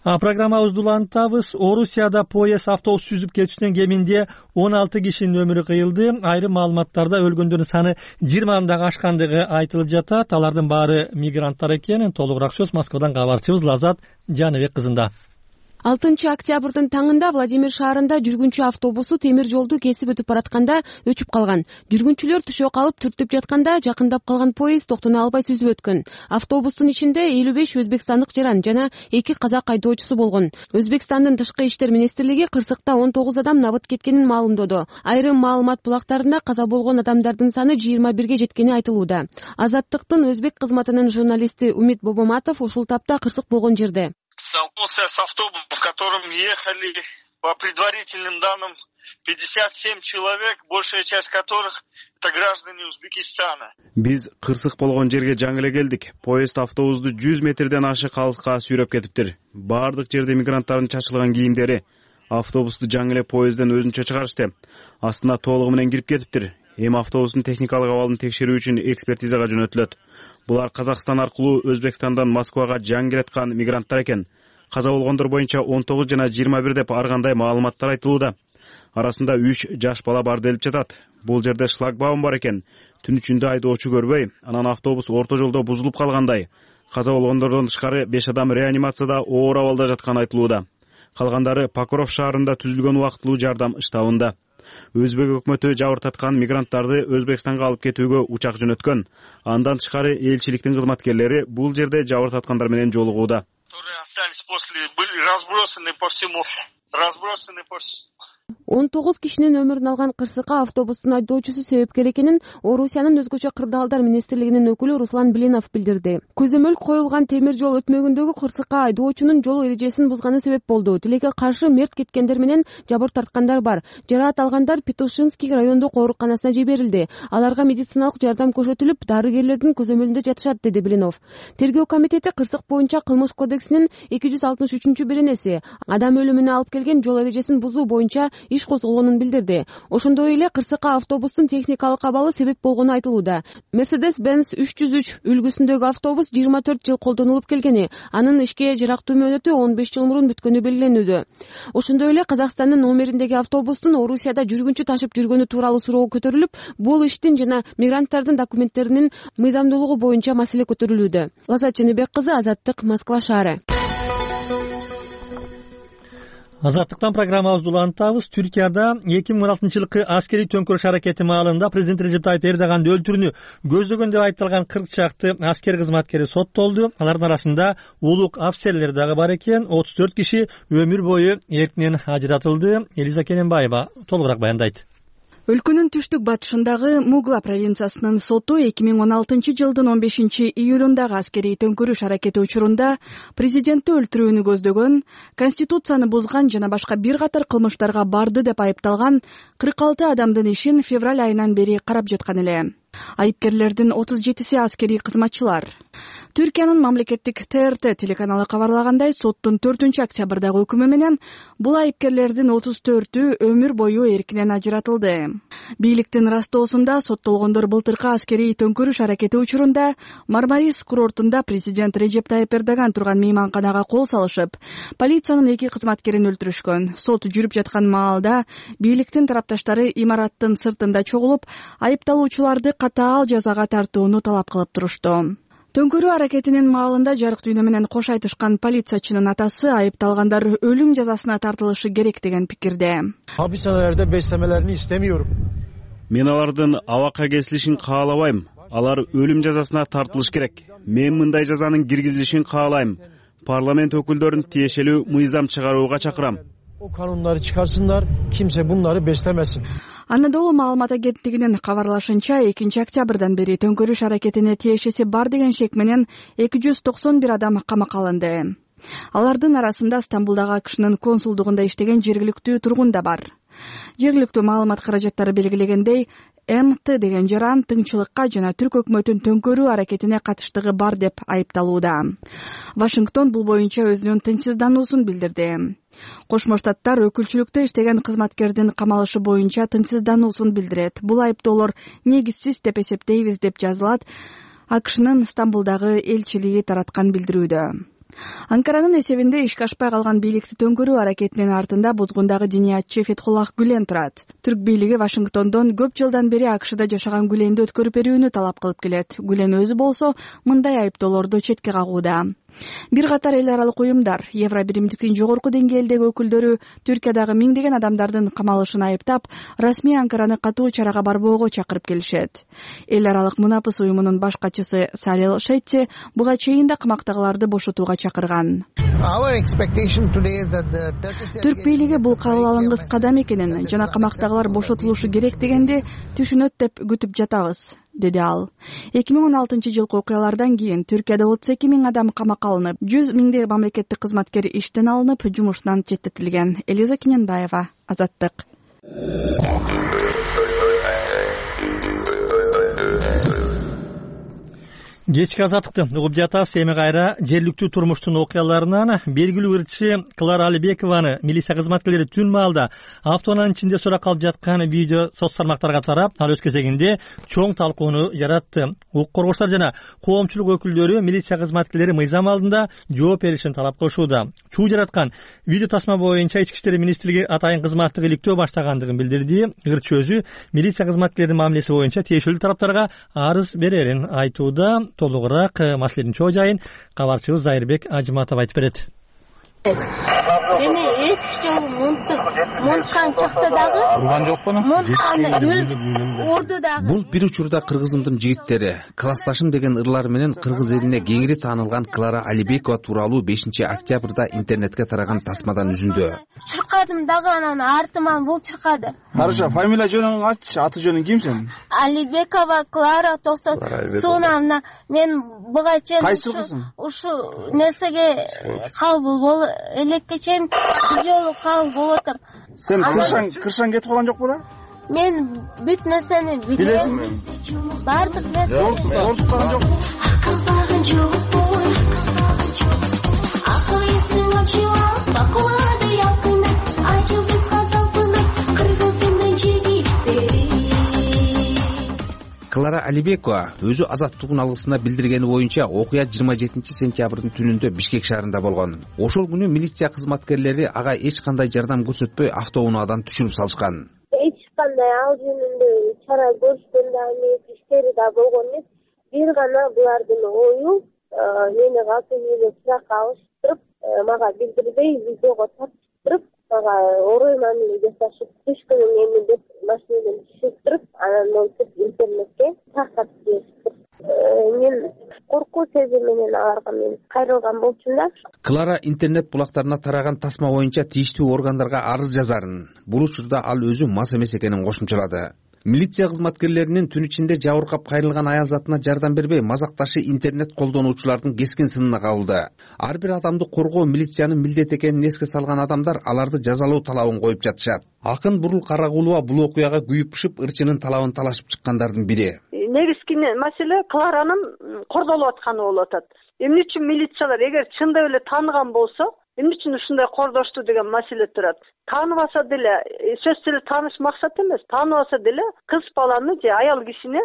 Программабызды улантабыз. Орусияда поезд автобус сүзүп кетүүсүнөн кеминде он алты кишинин өмүрү кыйылды. Айрым маалыматтарда өлгөндөрдүн саны жыйырмадан дагы ашкандыгы айтылып жатат. Алардын баары мигранттар экен. Толугураак сөз Москвадан кабарчыбыз Лазат Жаныбек кызында. алтынчы октябрдын таңында Владимир шаарында жүргүнчү автобусу темир жолду кесип өтүп баратканда өчүп калган. Жүргүнчүлөр түшө калып түртүп жатканда жакындап калган поезд токтоно албай сүзүп өткөн. Автобустун ичинде элүү беш өзбекстандык жаран жана эки казак айдоочусу болгон. Өзбекстандын тышкы иштер министрлиги кырсыкта он тогуз адам набыт кеткенин маалымдоду. Айрым маалымат булактарында каза болгон адамдардын саны жыйырма бирге жеткени айтылууда. Азаттыктын өзбек кызматынын журналисти Умит Бобоматов ушул тапта кырсык болгон жерде. Столкнулся с автобусом, в котором ехали по предварительным данным пятьдесят семь человек, большая часть которых это граждане Узбекистана. Биз кырсык болгон жерге жаңы эле келдик. Поезд автобусту жүз метрден ашык алыска сүйрөп кетиптир. Бардык жерде мигранттардын чачылган кийимдери. Автобусту жаңы эле поездден өзүнчө чыгарышты. Астына толугу менен кирип кетиптир. Эми автобустун техникалык абалын текшерүү үчүн экспертизага жөнөтүлөт. Булар Казакстан аркылуу Өзбекстандан Москвага жаңы келаткан мигранттар экен. Каза болгондор боюнча он тогуз жана жыйырма бир деп ар кандай маалыматтар айтылууда. Арасында үч жаш бала бар делип жатат. Бул жерде шлагбаум бар экен. Түн ичинде айдоочу көрбөй, анан автобус орто жолдо бузулуп калгандай. Каза болгондордон тышкары беш адам реанимацияда оор абалда жатканы айтылууда. Калгандары Покров шаарында түзүлгөн убактылуу жардам штабында. Өзбек өкмөтү жабыртаткан мигранттарды Өзбекстанга алып кетүүгө учак жөнөткөн. Андан тышкары элчиликтин кызматкерлери бул жерде жабыртаткандар менен жолугууда. он тогуз кишинин өмүрүн алган кырсыкка автобустун айдоочусу себепкер экенин Орусиянын өзгөчө кырдаалдар министрлигинин өкүлү Руслан Блинов билдирди. Көзөмөл коюлган темир жол өтмөгүндөгү кырсыкка айдоочунун жол эрежесин бузганы себеп болду. Тилекке каршы мерт кеткендер менен жабыр тарткандар бар. Жараат алгандар Петушинский райондук ооруканасына жиберилди. Аларга медициналык жардам көрсөтүлүп, дарыгерлердин көзөмөлүндө жатышат, деди Блинов. Тергөө комитети кырсык боюнча кылмыш кодексинин эки жүз алтымыш үчүнчү беренеси адам өлүмүнө алып келген жол эрежесин бузуу боюнча иш козголгонун билдирди. Ошондой эле кырсыкка автобустун техникалык абалы себеп болгону айтылууда. Mercedes-Benz үч жүз үч үлгүсүндөгү автобус жыйырма төрт жыл колдонулуп келгени, анын ишке жарактуу мөөнөтү он беш жыл мурун бүткөнү белгиленүүдө. Ошондой эле Казакстандын номериндеги автобустун Орусияда жүргүнчү ташып жүргөнү тууралуу суроо көтөрүлүп, бул иштин жана мигранттардын документтеринин мыйзамдуулугу боюнча маселе көтөрүлүүдө. Лаззат Чыныбек кызы, Азаттык, Москва шаары. Азаттыктан программабызды улантабыз. Түркияда эки миң он алтынчы жылкы аскерий төңкөрүш аракети маалында президент Режеп Тайып Эрдоганды өлтүрүүнү көздөгөн деп айтылган кырк чакты аскер кызматкери соттолду. Алардын арасында улук офицерлер дагы бар экен. отуз төрт киши өмүр бою эркинен ажыратылды. Элиза Келенбаева толугураак баяндайт. Өлкөнүн түштүк батышындагы Мугла провинциясынын соту эки миң он алтынчы жылдын он бешинчи июлундагы аскерий төңкөрүш аракети учурунда президентти өлтүрүүнү көздөгөн, конституцияны бузган жана башка бир катар кылмыштарга барды деп айыпталган кырк алты адамдын ишин февраль айынан бери карап жаткан эле. Айыпкерлердин отуз жетиси аскерий кызматчылар. Түркиянын мамлекеттик Т Р Т телеканалы кабарлагандай, соттун төртүнчү октябрдагы өкүмү менен бул айыпкерлердин отуз төртү өмүр бою эркинен ажыратылды. Бийликтин растоосунда соттолгондор былтыркы аскерий төңкөрүш аракети учурунда Мармарис курортунда президент Режеп Тайып Эрдоган турган мейманканага кол салышып, полициянын эки кызматкерин өлтүрүшкөн. Сот жүрүп жаткан маалда бийликтин тарапташтары имараттын сыртында чогулуп, айыпталуучуларды катаал жазага тартууну талап кылып турушту. Төңкөрүү аракетинин маалында жарык дүйнө менен кош айтышкан полициячынын атасы айыпталгандар өлүм жазасына тартылышы керек деген пикирде. Hapishanelerde beslemelerini istemiyorum. Мен алардын абакка кесилишин каалабайм. Алар өлүм жазасына тартылыш керек. Мен мындай жазанын киргизилишин каалайм. Парламент өкүлдөрүн тиешелүү мыйзам чыгарууга чакырам. O kanunları çıkarsınlar, kimse bunları beslemesin. Анадолу маалымат агенттигинин кабарлашынча, экинчи октябрдан бери төңкөрүш аракетине тиешеси бар деген шек менен эки жүз токсон бир адам камакка алынды. Алардын арасында Стамбулдагы АКШнын консулдугунда иштеген жергиликтүү тургун да бар. Жергиликтүү маалымат каражаттары белгилегендей, М Т деген жаран тыңчылыкка жана түрк өкмөтүн төңкөрүү аракетине катыштыгы бар деп айыпталууда. Вашингтон бул боюнча өзүнүн тынчсыздануусун билдирди. Кошмо Штаттар өкүлчүлүктө иштеген кызматкердин камалышы боюнча тынчсыздануусун билдирет. Бул айыптоолор негизсиз деп эсептейбиз деп жазылат АКШнын Стамбулдагы элчилиги тараткан билдирүүдө. Анкаранын эсебинде ишке ашпай калган бийликти төңкөрүү аракетинин артында бузгундагы диниятчы Фетхуллах Гүлен турат. Түрк бийлиги Вашингтондон көп жылдан бери АКШда жашаган Гүленди өткөрүп берүүнү талап кылып келет. Гүлен өзү болсо мындай айыптоолорду четке кагууда. Бир катар эл аралык уюмдар, Евро биримдиктин жогорку деңгээлдеги өкүлдөрү Түркиядагы миңдеген адамдардын камалышын айыптап, расмий Анкараны катуу чарага барбоого чакырып келишет. Эл аралык Мунапыс уюмунун баш катчысы Салил Шетти буга чейин да камактагыларды бошотууга чакырган. Түрк бийлиги бул кабыл алынгыс кадам экенин жана камактагылар бошотулушу керек дегенди түшүнөт деп күтүп жатабыз. деди ал. эки миң он алтынчы жылкы окуялардан кийин Түркияда отуз эки миң адам камакка алынып, жүз миңдей мамлекеттик кызматкер иштен алынып, жумуштан четтетилген. Элиза Кененбаева, Азаттык. Кечки Азаттыкты угуп жатасыз. Эми кайра жергиликтүү турмуштун окуяларынан белгилүү ырчы Клара Алибекованы милиция кызматкерлери түн маалда автоунаанын ичинде сурак алып жаткан видео соц тармактарга тарап, ал өз кезегинде чоң талкууну жаратты. Укук коргоочулар жана коомчулук өкүлдөрү милиция кызматкерлери мыйзам алдында жооп беришин талап кылышууда. Чуу жараткан видео тасма боюнча Ички иштер министрлиги атайын кызматтык иликтөө баштагандыгын билдирди. Ырчы өзү милиция кызматкерлеринин мамилеси боюнча тиешелүү тараптарга арыз берерин айтууда. Толугураак маселенин чоо жайын кабарчыбыз Зайырбек Ажыматов айтып берет. Мени эки жол мунткан чакта дагы урган жокпу? Мунтканы урду дагы. Бул бир учурда кыргызымдын жигиттери, классташым деген ырлар менен кыргыз элине кеңири таанылган Клара Алибекова тууралуу бешинчи октябрда интернетке тараган тасмадан үзүндү. Чыркадым дагы, анан артыман бул чыркады. Карыша, фамилия жөнүң аччы, аты жөнүң ким сен? Алибекова Клара токсон. Сонамна мен буга чейин кайсы кызым? Ушу нерсеге кабыл болуп элекке чейин бир жолу кабыл болуп атам. Сен кыршаң кыршаң кетип калган жокпу да? Мен бүт нерсени билем. Бардык нерсе. Ортуп калган жокпу? Акыл жокпу. Акыл эсин ачып, акылады якын, ачып катапын, кыргызымдын жигиттери. Клара Алибекова өзү Азаттыктын алгысына билдиргени боюнча окуя жыйырма жетинчи сентябрдын түнүндө Бишкек шаарында болгон. Ошол күнү милиция кызматкерлери ага эч кандай жардам көрсөтпөй автоунаадан түшүрүп салышкан. Эч кандай ал жөнүндө чара көрүшкөн да эмес, иштери да болгон эмес. Бир гана булардын ою мени калпы үйгө суракка алыштырып, мага билдирбей видеого тартыштырып, мага орой мамиле жасашып, түшкүнүң эми деп машинадан түшүрүп туруп, анан монтип интернетке таркатып беришиптир. Мен коркуу сезим менен аларга мен кайрылган болчумун да. Клара интернет булактарына тараган тасма боюнча тийиштүү органдарга арыз жазарын. Бул учурда ал өзү мас эмес экенин кошумчалады. Милиция кызматкерлеринин түн ичинде жабыркап кайрылган аял затына жардам бербей мазакташы интернет колдонуучулардын кескин сынына кабылды. Ар бир адамды коргоо милициянын милдети экенин эске салган адамдар аларды жазалоо талабын коюп жатышат. Акын Бурул Карагулова бул окуяга күйүп пышып ырчынын талабын талашып чыккандардын бири. Негизги маселе Кларанын кордолуп атканы болуп атат. Эмне үчүн милициялар эгер чындап эле тааныган болсо, эмне үчүн ушундай кордошту деген маселе турат. Тааныбаса деле, сөзсүз эле тааныш максат эмес, тааныбаса деле кыз баланы же аял кишини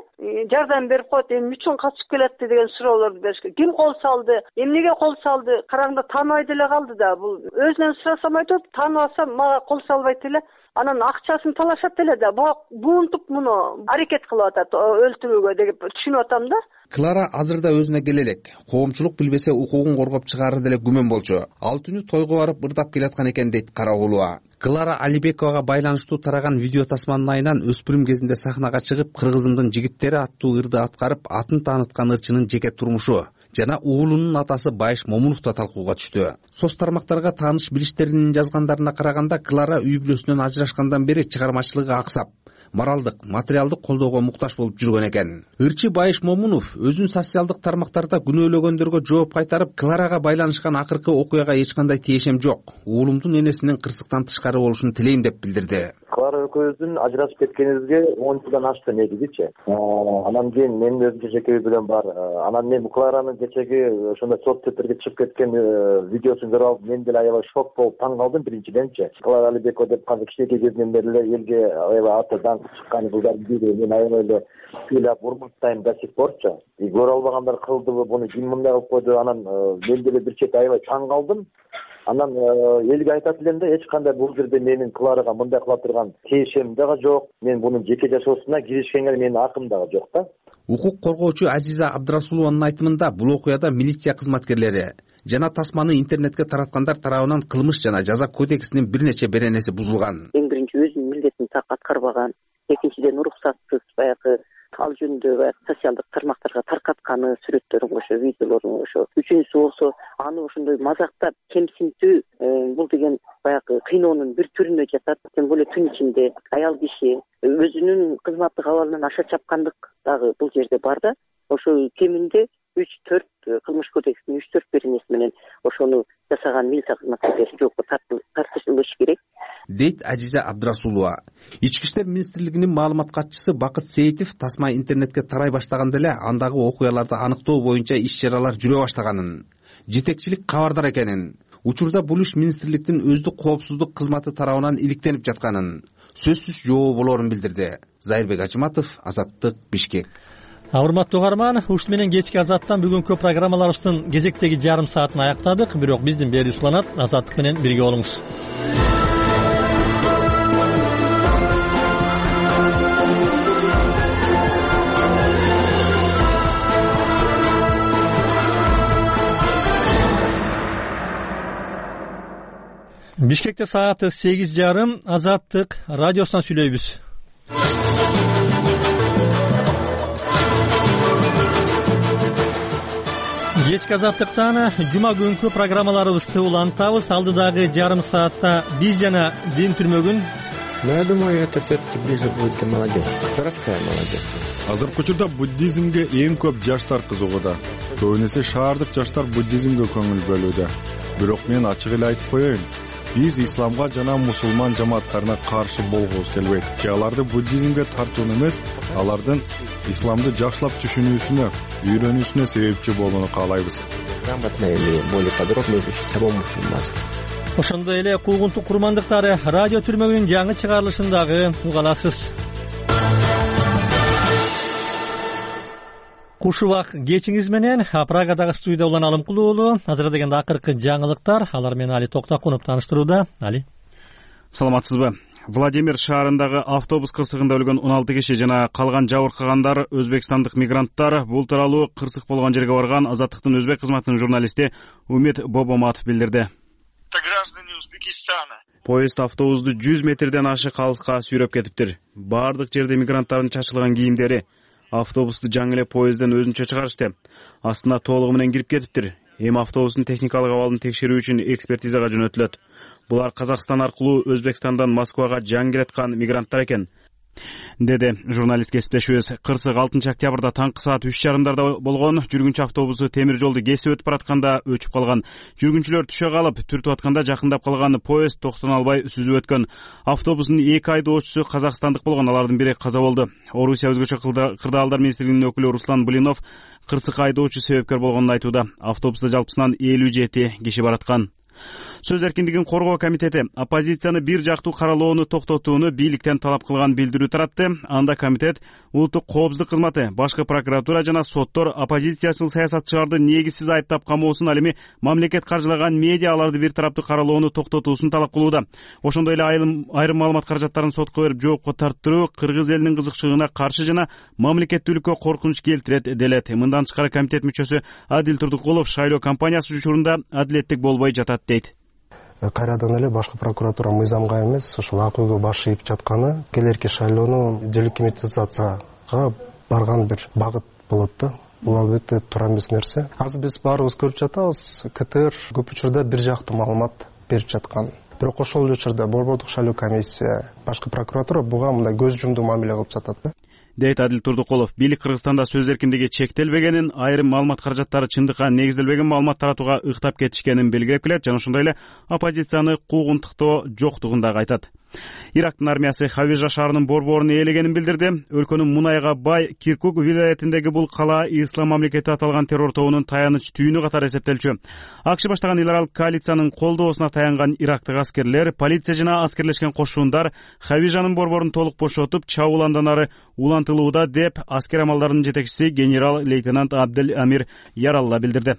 жардам берип коет, эмне үчүн качып келатты деген суроолорду бериш керек. Ким кол салды, эмнеге кол салды, караңда тааныбай деле калды да. Бул өзүнөн сурасам айтат, тааныбаса мага кол салбайт эле, анан акчасын талашат эле да. Буунтуп муну аракет кылып атат өлтүрүүгө деп түшүнүп атам да. Клара азырда өзүнө келе элек. Коомчулук билбесе укугун коргоп чыгары деле күмөн болчу. Ал түнү тойго барып ырдап келаткан экен дейт Карагулова. Клара Алибековага байланыштуу тараган видео тасманын айынан өспүрүм кезинде сахнага чыгып кыргызымдын жигиттери аттуу ырды аткарып атын тааныткан ырчынын жеке турмушу жана уулунун атасы Байыш Момунов да талкууга түштү. Соц тармактарга тааныш билиштеринин жазгандарына караганда Клара үй бүлөсүнөн ажырашкандан бери чыгармачылыгы аксап, моралдык, материалдык колдоого муктаж болуп жүргөн экен. Ырчы Байыш Момунов өзүн социалдык тармактарда күнөөлөгөндөргө жооп кайтарып, Кларага байланышкан акыркы окуяга эч кандай тиешем жок, уулумдун энесинин кырсыктан тышкары болушун тилейм деп билдирди. Клара экөөбүздүн ажырашып кеткенибизге он жылдан ашты негизичи. Анан кийин менин өзүмчө жеке үй бүлөм бар. Анан мен Кларанын кечеги ошондой соцсеттерге чыгып кеткен видеосун көрүп алып, мен деле аябай шок болуп таң калдым биринчиденчи. Клара Алибекова деп казыр кичинекей кезинен бери эле элге аябай аты даңк чыккан кыздардын бири. Мен аябай эле ыйлап урматтайм до сих порчу. И көрө албагандар кылдыбы, буну ким мындай кылып койду. Анан мен деле бир чети аябай таң калдым. Анан элге айтат элем да, эч кандай бул жерде менин Кларага мындай кыла турган тиешем дагы жок. Мен бунун жеке жашоосуна киришкенге менин акым дагы жок да. Укук коргоочу Азиза Абдрасулованын айтымында бул окуяда милиция кызматкерлери жана тасманы интернетке тараткандар тарабынан кылмыш жана жаза кодексинин бир нече беренеси бузулган. Эң биринчи өзүнүн милдетин так аткарбаган, экинчиден уруксатсыз баягы ал жөнүндө баягы социалдык тармактарга таркатканы, сүрөттөрүн кошо, видеолорун кошо. Үчүнчүсү болсо аны ошондой мазактап, кемсинтүү, бул деген баягы кыйноонун бир түрүнө жатат. Тем более түн ичинде аял киши өзүнүн кызматтык абалынан аша чапкандык дагы бул жерде бар да. Ошо кеминде үч төрт кылмыш кодексинин үч төрт беренеси менен ошону жасаган милиция кызматкерлери жоопко тартылышы керек, дейт Ажиза Абдрасулова. Ички иштер министрлигинин маалымат катчысы Бакыт Сейитов тасма интернетке тарай баштаганда эле андагы окуяларды аныктоо боюнча иш-чаралар жүрө баштаганын, жетекчилик кабардар экенин, учурда бул иш министрликтин өздүк коопсуздук кызматы тарабынан иликтенип жатканын, сөзсүз жообу болоорун билдирди. Зайырбек Ачыматов, Азаттык, Бишкек. Урматтуу угарман, ушун менен кечки Азаттан бүгүнкү программаларыбыздын кезектеги жарым саатын аяктадык. Бирок биздин берүүбүз уланат. Азаттык менен бирге болуңуз. Бишкекте сааты сегиз жарым. Азаттык радиосунан сүйлөйбүз. Кечки Азаттыктан жума күнкү программаларыбызды улантабыз. Алдыдагы жарым саатта биз жана дин түрмөгүн. Но я думаю, это все-таки ближе будет для молодежи. Городская молодежь. Азыркы учурда буддизмге эң көп жаштар кызыгууда. Көбүнесе шаардык жаштар буддизмге көңүл бөлүүдө. Бирок мен ачык эле айтып коеюн. Биз исламга жана мусулман жамааттарына каршы болгубуз келбейт. Же аларды буддизмге тартууну эмес, алардын исламды жакшылап түшүнүүсүнө, үйрөнүүсүнө себепчи болууну каалайбыз. Грамотно или более подробно изучить само мусульманство. Ошондой эле куугунтук курмандыктары радио түрмөгүнүн жаңы чыгарылышындагы уга аласыз. Куш убак кечиңиз менен Прагадагы студияда улан Алымкул уулу. Азыр дегенде акыркы жаңылыктар, алар менен Али Токтакунов тааныштырууда. Али. Саламатсызбы? Владимир шаарындагы автобус кырсыгында өлгөн он алты киши жана калган жабыркагандар өзбекстандык мигранттар. Бул тууралуу кырсык болгон жерге барган Азаттыктын өзбек кызматынын журналисти Умит Бобоматов билдирди. Граждане Узбекистана. Поезд автобусту жүз метрден ашык алыска сүйрөп кетиптир. Бардык жерде мигранттардын чачылган кийимдери. Автобусту жаңы эле поездден өзүнчө чыгарышты. Астына толугу менен кирип кетиптир. Эми автобустун техникалык абалын текшерүү үчүн экспертизага жөнөтүлөт. Булар Казакстан аркылуу Өзбекстандан Москвага жаңы келаткан мигранттар экен, деди журналист кесиптешибиз. Кырсык алтынчы октябрда таңкы саат үч жарымдарда болгон. Жүргүнчү автобусу темир жолду кесип өтүп баратканда өчүп калган. Жүргүнчүлөр түшө калып, түртүп атканда жакындап калган поезд токтоно албай сүзүп өткөн. Автобустун эки айдоочусу казакстандык болгон, алардын бири каза болду. Орусия өзгөчө кырдаалдар министрлигинин өкүлү Руслан Блинов кырсык айдоочу себепкер болгонун айтууда. Автобуста жалпысынан элүү жети киши бараткан. Сөз эркиндигин коргоо комитети оппозицияны бир жактуу каралоону токтотууну бийликтен талап кылган билдирүү таратты. Анда комитет улуттук коопсуздук кызматы, башкы прокуратура жана соттор оппозициячыл саясатчыларды негизсиз айыптап камоосун, ал эми мамлекет каржылаган медиа аларды бир тараптуу каралоону токтотуусун талап кылууда. Ошондой эле айрым маалымат каражаттарын сотко берип жоопко тарттыруу кыргыз элинин кызыкчылыгына каршы жана мамлекеттүүлүккө коркунуч келтирет делет. Мындан тышкары комитет мүчөсү Адил Турдукулов шайлоо кампаниясы учурунда адилеттик болбой жатат дейт. Кайрадан эле башкы прокуратура мыйзамга эмес, ошол ак үйгө баш ийип жатканы келерки шайлоону делегитимизацияга барган бир багыт болот да. Бул албетте туура эмес нерсе. Азыр биз баарыбыз көрүп жатабыз, КТР көп учурда бир жактуу маалымат берип жаткан. Бирок ошол эле учурда борбордук шайлоо комиссия, башкы прокуратура буга мындай көз жумдуу мамиле кылып жатат да. дейт Адил Турдукулов. Бийлик Кыргызстанда сөз эркиндиги чектелбегенин, айрым маалымат каражаттары чындыкка негизделбеген маалымат таратууга ыктап кетишкенин белгилеп келет жана ошондой эле оппозицияны куугунтуктоо жоктугун дагы айтат. Ирактын армиясы Хавижа шаарынын борборун ээлегенин билдирди. Өлкөнүн мунайга бай Киркук вилаятындагы бул кала ислам мамлекети аталган террор тобунун таяныч түйүнү катары эсептелчү. АКШ баштаган эл аралык коалициянын колдоосуна таянган ирактык аскерлер, полиция жана аскерлешкен кошундар Хавижанын борборун толук бошотуп, чабуул андан ары улантылууда деп аскер амалдарынын жетекчиси генерал-лейтенант Абдел Амир Яралла билдирди.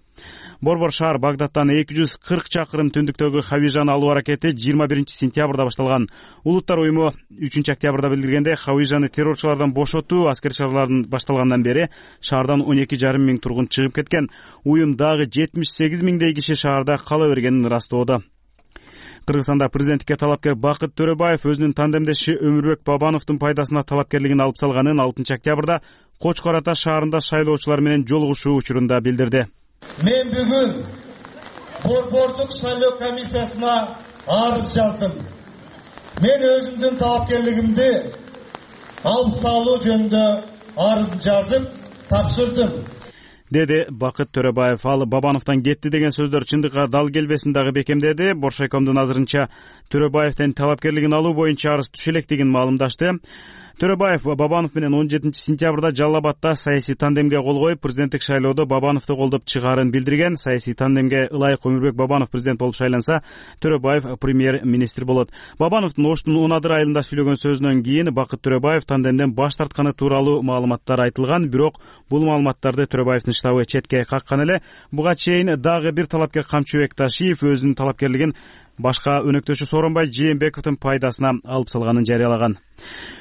Борбор шаар Багдадтан эки жүз кырк чакырым түндүктөгү Хавижаны алуу аракети жыйырма биринчи сентябрда башталган. Улуттар уюму үчүнчү октябрда билдиргенде, Хавижаны террорчулардан бошотуу аскер чараларын башталгандан бери шаардан он эки жарым миң тургун чыгып кеткен. Уюм дагы жетимиш сегиз миңдей киши шаарда кала бергенин ырастоодо. Кыргызстанда президенттикке талапкер Бакыт Төрөбаев өзүнүн тандемдеши Өмүрбек Бабановдун пайдасына талапкерлигин алып салганын алтынчы октябрда Кочкор Ата шаарында шайлоочулар менен жолугушуу учурунда билдирди. Мен бүгүн борбордук шайлоо комиссиясына арыз жаздым. Мен өзүмдүн талапкерлигимди алып салуу жөнүндө арыз жазып тапшырдым, деди Бакыт Төрөбаев. Ал Бабановдон кетти деген сөздөр чындыкка дал келбесин дагы бекемдеди. Боршайкомдун азырынча Төрөбаевден талапкерлигин алуу боюнча арыз түшө электигин маалымдашты. Төрөбаев Бабанов менен он жетинчи сентябрда Жалал Абадта саясий тандемге кол коюп, президенттик шайлоодо Бабановду колдоп чыгаарын билдирген. Саясий тандемге ылайык Өмүрбек Бабанов президент болуп шайланса, Төрөбаев премьер-министр болот. Бабановдун Оштун он адыр айылында сүйлөгөн сөзүнөн кийин Бакыт Төрөбаев тандемден баш тартканы тууралуу маалыматтар айтылган, бирок бул маалыматтарды Төрөбаевдин штабы четке каккан эле. Буга чейин дагы бир талапкер Камчыбек Ташиев өзүнүн талапкерлигин башка өнөктөшү Сооронбай Жээнбековдун пайдасына алып салганын жарыялаган.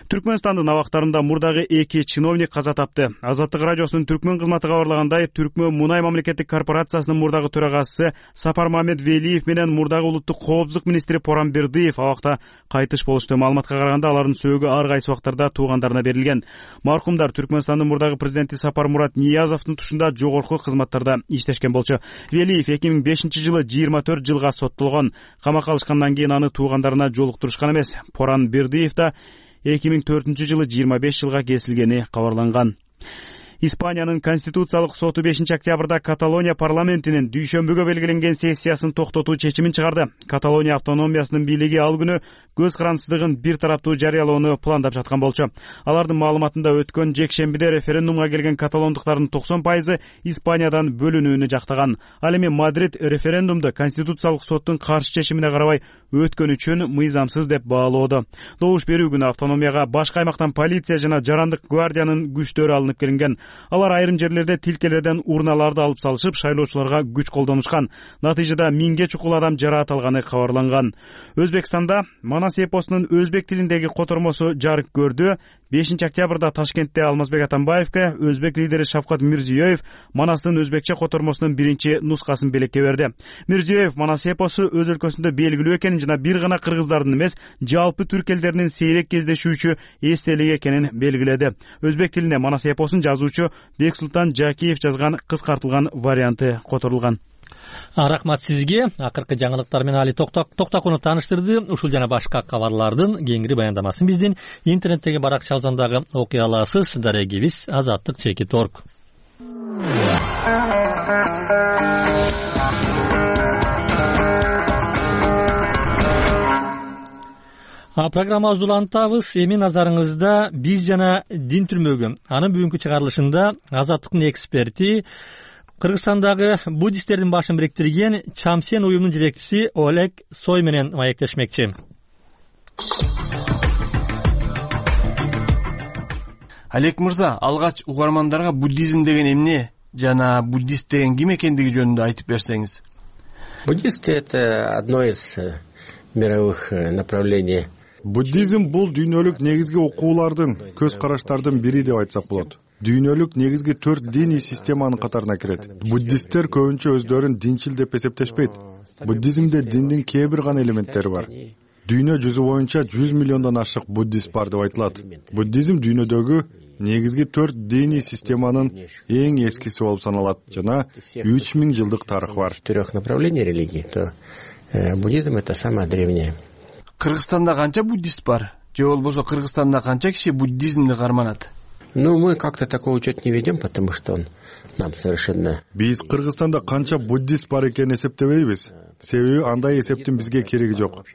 Түркмөнстандын абактарында мурдагы эки чиновник каза тапты. Азаттык радиосунун Түркмөн кызматы кабарлагандай, Түркмөн Мунай мамлекеттик корпорациясынын мурдагы төрагасы Сапар Мамед Велиев менен мурдагы улуттук коопсуздук министри Поран Бердиев абакта кайтыш болушту. Маалыматка караганда, алардын сөөгү ар кайсы убактарда туугандарына берилген. Маркумдар Түркмөнстандын мурдагы президенти Сапар Мурат Ниязовдун тушунда жогорку кызматтарда иштешкен болчу. Велиев эки миң бешинчи жылы жыйырма төрт жылга соттолгон. Камакка алышкандан кийин аны туугандарына жолуктурушкан эмес. Поран Бердиев да эки миң төртүнчү жылы жыйырма беш жылга кесилгени кабарланган. Испаниянын Конституциялык соту бешинчи октябрда Каталония парламентинин дүйшөмбүгө белгиленген сессиясын токтотуу чечимин чыгарды. Каталония автономиясынын бийлиги ал күнү көз карандысыздыгын бир тараптуу жарыялоону пландап жаткан болчу. Алардын маалыматында өткөн жекшембиде референдумга келген каталондуктардын токсон пайызы Испаниядан бөлүнүүнү жактаган. Ал эми Мадрид референдумду Конституциялык соттун каршы чечимине карабай өткөн үчүн мыйзамсыз деп баалоодо. Добуш берүү күнү автономияга башка аймактан полиция жана жарандык гвардиянын күчтөрү алынып келинген. Алар айрым жерлерде тилкелерден урналарды алып салышып, шайлоочуларга күч колдонушкан. Натыйжада миңге чукул адам жараат алганы кабарланган. Өзбекстанда Манас эпосунун өзбек тилиндеги котормосу жарык көрдү. бешинчи октябрда Ташкентте Алмазбек Атамбаевке өзбек лидери Шавкат Мирзиёев Манастын өзбекче котормосунун биринчи нускасын белекке берди. Мирзиёев Манас эпосу өз өлкөсүндө белгилүү экенин жана бир гана кыргыздардын эмес, жалпы түрк элдеринин сейрек кездешүүчү эстелиги экенин белгиледи. Өзбек тилине Манас эпосун жазуучу Бексултан Жакиев жазган кыскартылган варианты которулган. Рахмат сизге. Акыркы жаңылыктар менен Али Токтакунов тааныштырды. Ушул жана башка кабарлардын кеңири баяндамасын биздин интернеттеги баракчабыздан дагы окуй аласыз. Дарегибиз азаттык чекит точка орг. Программабызды улантабыз. Эми назарыңызда биз жана дин түрмөгү. Анын бүгүнкү чыгарылышында Азаттыктын эксперти, Кыргызстандагы буддисттердин башын бириктирген Чамсен уюмунун жетекчиси Олег Сой менен маектешмекчи. Олег мырза, алгач угармандарга буддизм деген эмне жана буддист деген ким экендиги жөнүндө айтып берсеңиз. Буддисты — это одно из мировых направлений. Буддизм бул дүйнөлүк негизги окуулардын, көз караштардын бири деп айтсак болот. Дүйнөлүк негизги төрт диний системанын катарына кирет. Буддисттер көбүнчө өздөрүн динчил деп эсептешпейт. Буддизмде диндин кээ бир гана элементтери бар. Дүйнө жүзү боюнча жүз миллиондон ашык буддист бар деп айтылат. Буддизм дүйнөдөгү негизги төрт диний системанын эң эскиси болуп саналат жана үч миң жылдык тарыхы бар. Трех направлений религии, то буддизм — это самое древнее. Кыргызстанда канча буддист бар? Же болбосо Кыргызстанда канча киши буддизмди карманат? Ну, мы как-то такой учет не ведем, потому что он нам совершенно... Биз Кыргызстанда канча буддист бар экенин эсептебейбиз. Себеби андай эсептин бизге кереги жок.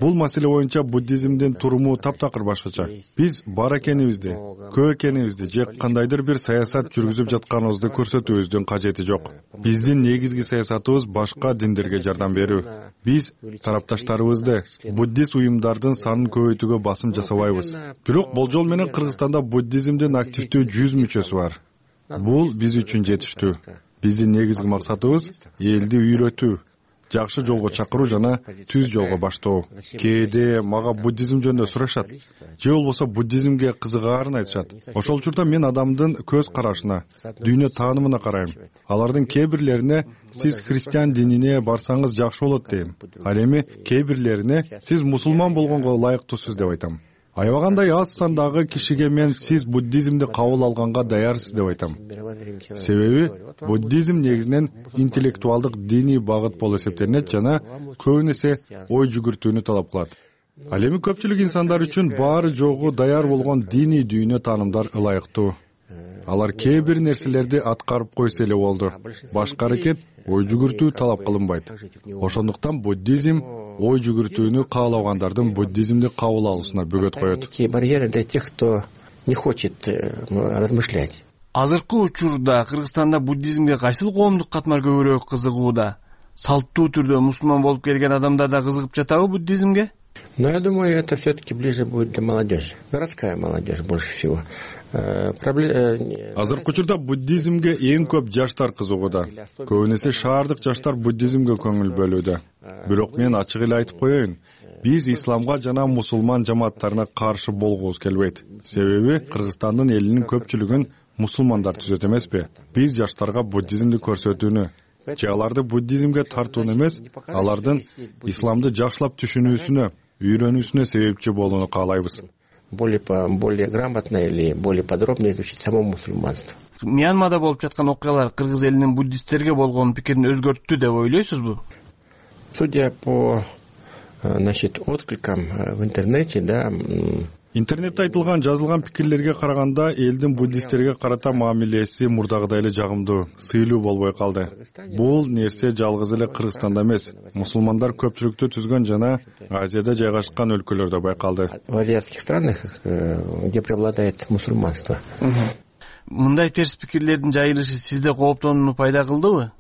Бул маселе боюнча буддизмдин туруму таптакыр башкача. Биз бар экенибизди, көп экенибизди же кандайдыр бир саясат жүргүзүп жатканыбызды көрсөтүүбүздүн кажети жок. Биздин негизги саясатыбыз башка диндерге жардам берүү. Биз тарапташтарыбызды, буддист уюмдардын санын көбөйтүүгө басым жасабайбыз. Бирок болжол менен Кыргызстанда буддизмдин активдүү жүз мүчөсү бар. Бул биз үчүн жетиштүү. Биздин негизги максатыбыз элди үйрөтүү. жакшы жолго чакыруу жана түз жолго баштоо. Кээде мага буддизм жөнүндө сурашат же болбосо буддизмге кызыгаарын айтышат. Ошол учурда мен адамдын көз карашына, дүйнө таанымына карайм. Алардын кээ бирлерине сиз христиан динине барсаңыз жакшы болот дейм. Ал эми кээ бирлерине сиз мусулман болгонго ылайыктуусуз деп айтам. Аябагандай аз сандагы кишиге мен сиз буддизмди кабыл алганга даярсыз деп айтам. Себеби буддизм негизинен интеллектуалдык диний багыт болуп эсептелинет жана көбүн эсе ой жүгүртүүнү талап кылат. Ал эми көпчүлүк инсандар үчүн баары жогу даяр болгон диний дүйнө таанымдар ылайыктуу. Алар кээ бир нерселерди аткарып койсо эле болду. Башка аракет ой жүгүртүү талап кылынбайт. Ошондуктан буддизм ой жүгүртүүнү каалабагандардын буддизмди кабыл алуусуна бөгөт коет. Барьеры для тех, кто не хочет размышлять. Азыркы учурда Кыргызстанда буддизмге кайсыл коомдук катмар көбүрөөк кызыгууда? Салттуу түрдө мусулман болуп келген адамдар да кызыгып жатабы буддизмге? Но я думаю, это все-таки ближе будет для молодежи. Городская молодежь больше всего. Азыркы учурда буддизмге эң көп жаштар кызыгууда. Көбүн эсе шаардык жаштар буддизмге көңүл бөлүүдө. Бирок мен ачык эле айтып коеюн. Биз исламга жана мусулман жамааттарына каршы болгубуз келбейт. Себеби Кыргызстандын элинин көпчүлүгүн мусулмандар түзөт эмеспи? Биз жаштарга буддизмди көрсөтүүнү же аларды буддизмге тартууну эмес, алардын исламды жакшылап түшүнүүсүнө, үйрөнүүсүнө себепчи болууну каалайбыз. Более более грамотно или более подробно изучить само мусульманство. Мьянмада болуп жаткан окуялар кыргыз элинин буддисттерге болгон пикирин өзгөрттү деп ойлойсузбу? Судя по, значит, откликам в интернете, да. Интернетте айтылган, жазылган пикирлерге караганда элдин буддисттерге карата мамилеси мурдагыдай эле жагымдуу, сыйлуу болбой калды. Бул нерсе жалгыз эле Кыргызстанда эмес, мусулмандар көпчүлүктү түзгөн жана Азияда жайгашкан өлкөлөрдө байкалды. В азиатских странах, где преобладает мусульманство. Мындай терс пикирлердин жайылышы сизде кооптонууну пайда кылдыбы?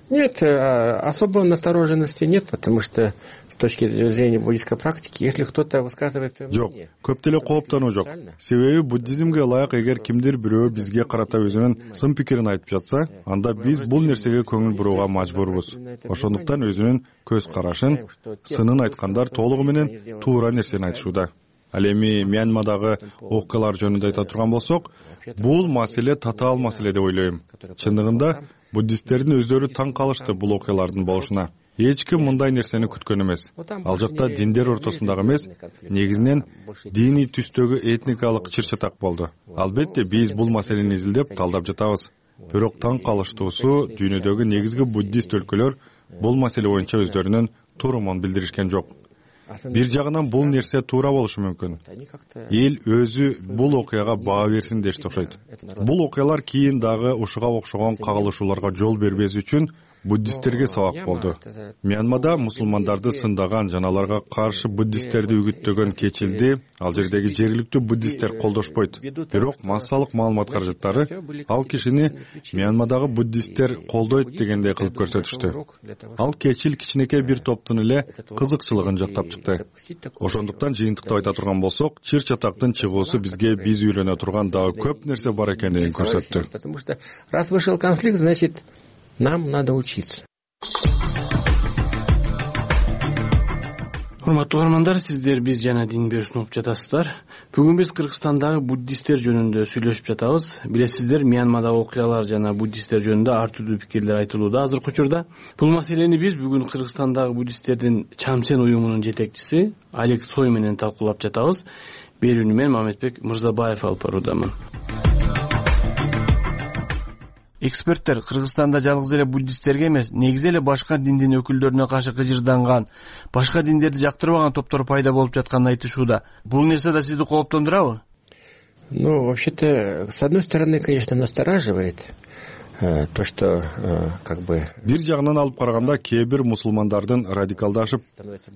Нет, особой настороженности нет, потому что с точки зрения буддийской практики, если кто-то высказывает свое мнение... Жок, көп деле кооптонуу жок. Себеби буддизмге ылайык эгер кимдир бирөө бизге карата өзүнүн сын пикирин айтып жатса, анда биз бул нерсеге көңүл бурууга мажбурбуз. Ошондуктан өзүнүн көз карашын, сынын айткандар толугу менен туура нерсени айтышууда. Ал эми Мьянмадагы окуялар жөнүндө айта турган болсок, бул маселе татаал маселе деп ойлойм. Чындыгында буддисттердин өздөрү таң калышты бул окуялардын болушуна. Эч ким мындай нерсени күткөн эмес. Ал жакта диндер ортосундагы эмес, негизинен диний түстөгү этникалык чыр-чатак болду. Албетте биз бул маселени изилдеп, талдап жатабыз. Бирок таң калыштуусу дүйнөдөгү негизги буддист өлкөлөр бул маселе боюнча өздөрүнүн туурумун билдиришкен жок. Бир жагынан бул нерсе туура болушу мүмкүн. Эл өзү бул окуяга баа берсин дешти окшойт. Бул окуялар кийин дагы ушуга окшогон кагылышууларга жол бербес үчүн буддисттерге сабак болду. Мьянмада мусулмандарды сындаган жана аларга каршы буддисттерди үгүттөгөн кечилди ал жердеги жергиликтүү буддисттер колдошпойт. Бирок массалык маалымат каражаттары ал кишини Мьянмадагы буддисттер колдойт дегендей кылып көрсөтүштү. Ал кечил кичинекей бир топтун эле кызыкчылыгын жактап чыкты. Ошондуктан жыйынтыктап айта турган болсок, чыр-чатактын чыгуусу бизге биз үйлөнө турган дагы көп нерсе бар экендигин көрсөттү. Потому что раз вышел конфликт, значит, нам надо учиться. Урматтуу угармандар, сиздер биз жана дин берүүсүн угуп жатасыздар. Бүгүн биз Кыргызстандагы буддисттер жөнүндө сүйлөшүп жатабыз. Билесиздер, Мьянмадагы окуялар жана буддисттер жөнүндө ар түрдүү пикирлер айтылууда азыркы учурда. Бул маселени биз бүгүн Кыргызстандагы буддисттердин Чамсен уюмунун жетекчиси Олег Цой менен талкуулап жатабыз. Берүүнү мен Мамедбек Мырзабаев алып баруудамын. Эксперттер Кыргызстанда жалгыз эле буддисттерге эмес, негизи эле башка диндин өкүлдөрүнө каршы кыжырданган, башка диндерди жактырбаган топтор пайда болуп жатканын айтышууда. Бул нерсе да сизди кооптондурабы? Ну, вообще-то, с одной стороны, конечно, настораживает то, что как бы... Бир жагынан алып караганда кээ бир мусулмандардын радикалдашып,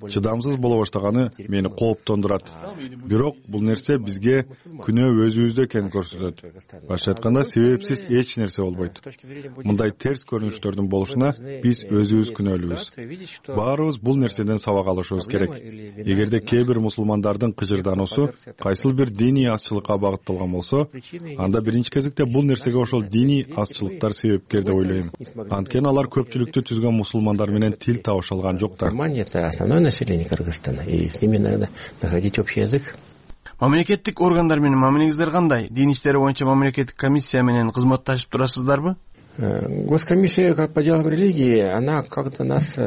чыдамсыз боло баштаганы мени кооптондурат. Бирок бул нерсе бизге күнөө өзүбүздө экенин көрсөтөт. Башка айтканда, себепсиз эч нерсе болбойт. Мындай терс көрүнүштөрдүн болушуна биз өзүбүз күнөөлүүбүз. Баарыбыз бул нерседен сабак алышыбыз керек. Эгерде кээ бир мусулмандардын кыжырдануусу кайсыл бир диний азчылыкка багытталган болсо, анда биринчи кезекте бул нерсеге ошол диний азчылыкта жаштар себепкер деп ойлойм. Анткени алар көпчүлүктү түзгөн мусулмандар менен тил табыша алган жоктор. Это основное население Кыргызстана, и с ними надо находить общий язык. Мамлекеттик органдар менен мамилеңиздер кандай? Дин иштери боюнча мамлекеттик комиссия менен кызматташып турасыздарбы? Госкомиссия по делам религии, она как-то нас,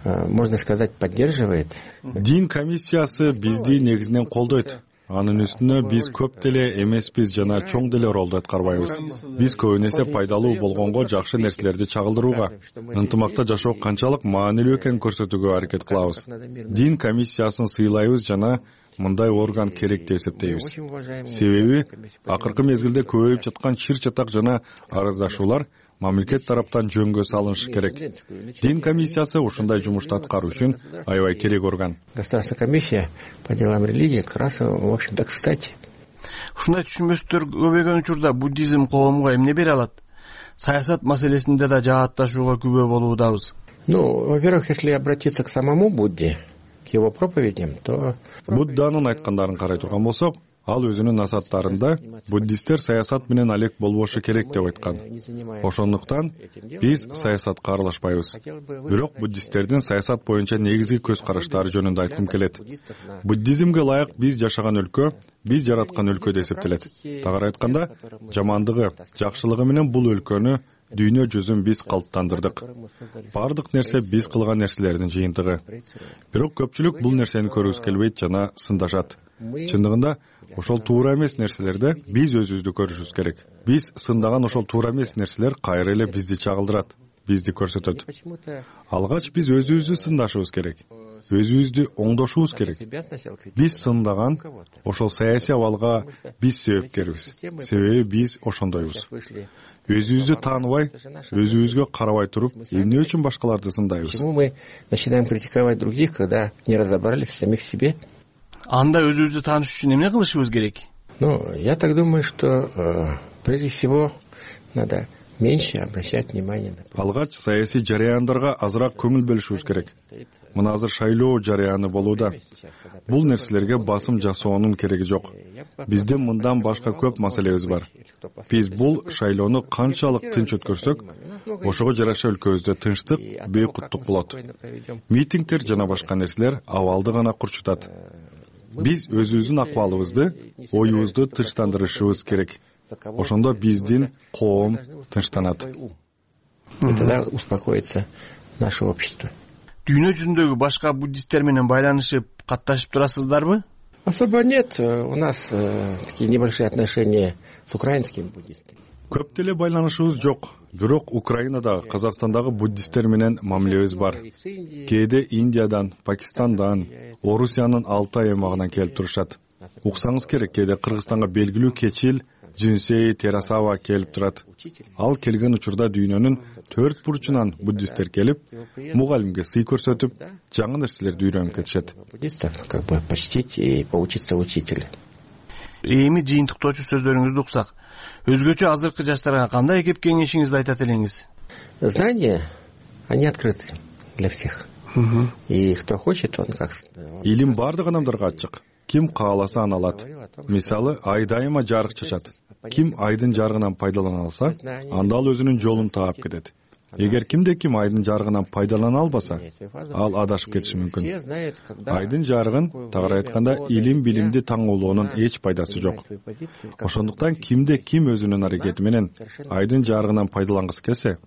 можно сказать, поддерживает. Дин комиссиясы бизди негизинен колдойт. Анын үстүнө биз көп деле эмеспиз жана чоң деле ролду аткарбайбыз. Биз көбүн эсе пайдалуу болгонго жакшы нерселерди чагылдырууга, ынтымакта жашоо канчалык маанилүү экенин көрсөтүүгө аракет кылабыз. Дин комиссиясын сыйлайбыз жана мындай орган керек деп эсептейбиз. Себеби акыркы мезгилде көбөйүп жаткан чыр чатак жана арыздашуулар мамлекет тараптан жөнгө салынышы керек. Дин комиссиясы ушундай жумушту аткаруу үчүн аябай керек орган. Государственная комиссия по делам религии как раз, в общем-то, кстати. Ушундай түшүнбөстөр көбөйгөн учурда буддизм коомго эмне бере алат? Саясат маселесинде да жаатташууга күбө болуудабыз. Ну, во-первых, если обратиться к самому Будде, к его проповедям, то Будданын айткандарын карай турган болсок, ал өзүнүн насааттарында буддисттер саясат менен алек болбошу керек деп айткан. Ошондуктан биз саясатка аралашпайбыз. Бирок буддисттердин саясат боюнча негизги көз караштары жөнүндө айткым келет. Буддизмге ылайык биз жашаган өлкө, биз жараткан өлкө деп эсептелет. Тагыраак айтканда, жамандыгы, жакшылыгы менен бул өлкөнү, дүйнө жүзүн биз калыптандырдык. Бардык нерсе биз кылган нерселердин жыйынтыгы. Бирок көпчүлүк бул нерсени көргүсү келбейт жана сындашат. Чындыгында ошол туура эмес нерселерде биз өзүбүздү көрүшүбүз керек. Биз сындаган ошол туура эмес нерселер кайра эле бизди чагылдырат, бизди көрсөтөт. Алгач биз өзүбүздү сындашыбыз керек. Өзүбүздү оңдошубуз керек. Биз сындаган ошол саясий абалга биз себепкербиз. Себеби биз ошондойбуз. Өзүбүздү тааныбай, өзүбүзгө карабай туруп, эмне үчүн башкаларды сындайбыз? Почему мы начинаем критиковать других, когда не разобрались в самих себе? Анда өзүбүздү тааныш үчүн эмне кылышыбыз керек? Ну, я так думаю, что э, прежде всего надо меньше обращать внимание на... Алгач саясий жараяндарга азыраак көңүл бөлүшүбүз керек. Мына азыр шайлоо жараяны болууда. Бул нерселерге басым жасоонун кереги жок. Биздин мындан башка көп маселебиз бар. Биз бул шайлоону канчалык тынч өткөрсөк, ошого жараша өлкөбүздө тынчтык, бейкуттук болот. Митингдер жана башка нерселер абалды гана курчутат. Биз өзүбүздүн акыбалыбызды, оюбузду тынчтандырышыбыз керек. Ошондо биздин коом тынчтанат. Тогда успокоится наше общество. Дүйнө жүзүндөгү башка буддисттер менен байланышып, катташып турасыздарбы? Особо нет. У нас э, такие небольшие отношения с украинскими буддистами. Көп деле байланышыбыз жок. Бирок Украинадагы, Казакстандагы буддисттер менен мамилебиз бар. Кээде Индиядан, Пакистандан, Орусиянын Алтай аймагынан келип турушат. Уксаңыз керек, кээде Кыргызстанга белгилүү Кечил, Жүнсей, Терасава келип турат. Ал келген учурда дүйнөнүн төрт бурчунан буддисттер келип, мугалимге сый көрсөтүп, жаңы нерселерди үйрөнүп кетишет. Как бы почтить и поучиться учителя. Эми жыйынтыктоочу сөздөрүңүздү уксак, өзгөчө азыркы жаштарга кандай кеп кеңешиңизди айтат элеңиз? Знания, они открыты для всех. И кто хочет, он как... Илим бардык адамдарга ачык. Ким кааласа аны алат. Мисалы, ай дайыма жарык чачат. Ким айдын жарыгынан пайдалана алса, анда ал өзүнүн жолун таап кетет. Эгер кимде ким айдын жарыгынан пайдалана албаса, ал адашып кетиши мүмкүн. Айдын жарыгын, тагыраак айтканда, илим билимди таңоолоонун эч пайдасы жок. Ошондуктан кимде ким өзүнүн аракети менен айдын жарыгынан пайдалангысы келсе,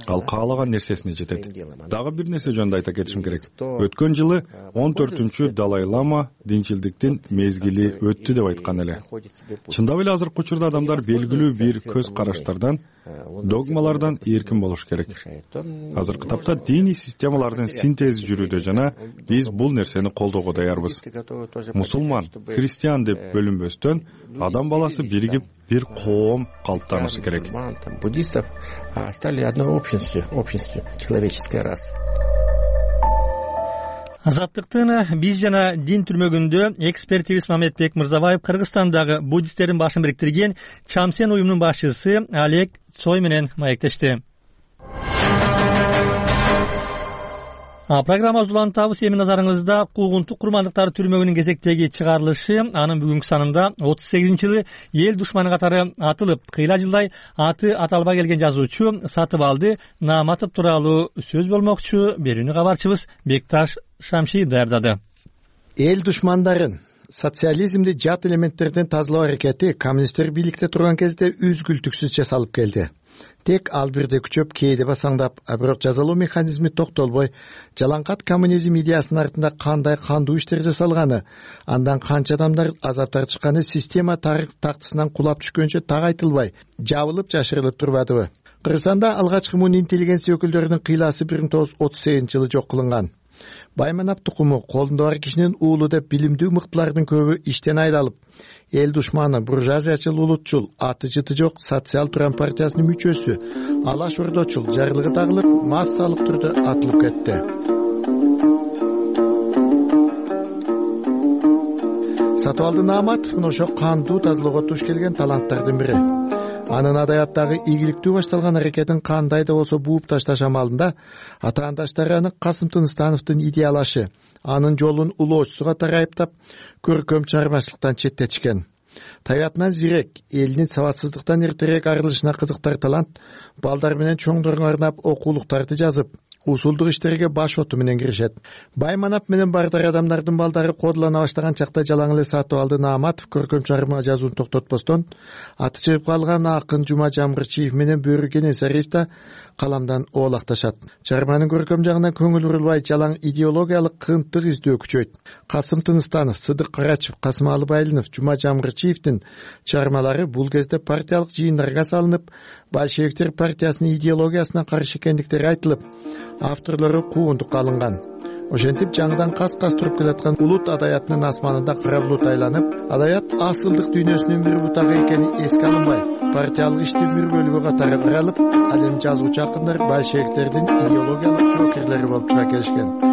ал каалаган нерсесине жетет. Дагы бир нерсе жөнүндө айта кетишим керек. Өткөн жылы он төртүнчү Далай Лама динчилдиктин мезгили өттү деп айткан эле. Чындап эле азыркы учурда адамдар белгилүү бир көз караштардан, догмалардан эркин болуш керек. Азыркы тапта диний системалардын синтези жүрүүдө жана биз бул нерсени колдоого даярбыз. Мусулман, христиан деп бөлүнбөстөн, адам баласы биригип бир коом калыптанышы керек. Буддистов стали одной общностью, общностью человеческой расы. Азаттыктын биз жана дин түрмөгүндө экспертибиз Мамедбек Мырзабаев Кыргызстандагы буддисттердин башын бириктирген Чамсен уюмунун башчысы Олег Цой менен маектешти. Программабызды улантабыз. Эми назарыңызда куугунтук курмандыктар түрмөгүнүн кезектеги чыгарылышы анын бүгүнкү санында отуз сегизинчи жылы эл душманы катары атылып, кыйла жылдай аты аталбай келген жазуучу Сатыбалды Нааматов тууралуу сөз болмокчу. Берүүнү кабарчыбыз Бекташ Шамши даярдады. Эл душмандарын социализмди жат элементтерден тазалоо аракети коммунисттер бийликте турган кезде үзгүлтүксүз жасалып келди. Тек ал бирде күчөп, кээде басаңдап, а бирок жазалоо механизми токтолбой, жалаңкат коммунизм идеясынын артында кандай кандуу иштер жасалганы, андан канча адамдар азап тартышканы система тарых тактысынан кулап түшкөнчө так айтылбай, жабылып жашырылып турбадыбы? Кыргызстанда алгачкы муун интеллигенция өкүлдөрүнүн кыйласы бир миң тогуз жүз отуз сегизинчи жылы жок кылынган. Байманап тукуму колунда бар кишинин уулу деп билимдүү мыктылардын көбү иштен айлалып, эл душманы, буржуазиячыл, улутчул, аты жыты жок социал-туран партиясынын мүчөсү, алаш ордочул жарлыгы тагылып, массалык түрдө атылып кетти. Сатыбалды Нааматов ошо кандуу тазалоого туш келген таланттардын бири. Анын адаяттагы ийгиликтүү башталган аракетин кандай да болсо бууп ташташ амалында атаандаштары аны Касым Тыныстановдун идеялашы, анын жолун улоочусу катары айыптап, көркөм чыгармачылыктан четтетишкен. Табиятынан зирек, элинин сабатсыздыктан эртерээк арылышына кызыктар талант балдар менен чоңдорго арнап окуулуктарды жазып, усулдук иштерге баш оту менен киришет. Байманап менен бардыр адамдардын балдары кодулана баштаган чакта жалаң эле Сатыбалды Нааматов көркөм чыгарма жазууну токтотпостон, аты чыгып калган акын Жума Жамгырчиев менен Бөрү Кенесариев да каламдан оолакташат. Чыгарманын көркөм жагына көңүл бурулбай, жалаң идеологиялык кынтык издөө күчөйт. Касым Тыныстанов, Сыдык Карачев, Касымалы Байлинов, Жума Жамгырчиевдин чыгармалары бул кезде партиялык жыйындарга салынып, большевиктер партиясынын идеологиясына каршы экендиктери айтылып, авторлору куугунтукка алынган. Ошентип жаңыдан кас-кас туруп келаткан улут адаятынын асманында кара булут айланып, адаят асылдык дүйнөсүнүн бир бутагы экени эске алынбай, партиялык иштин бир бөлүгү катары каралып, ал эми жазуучу акындар большевиктердин идеологиялык жоокерлери болуп чыга келишкен.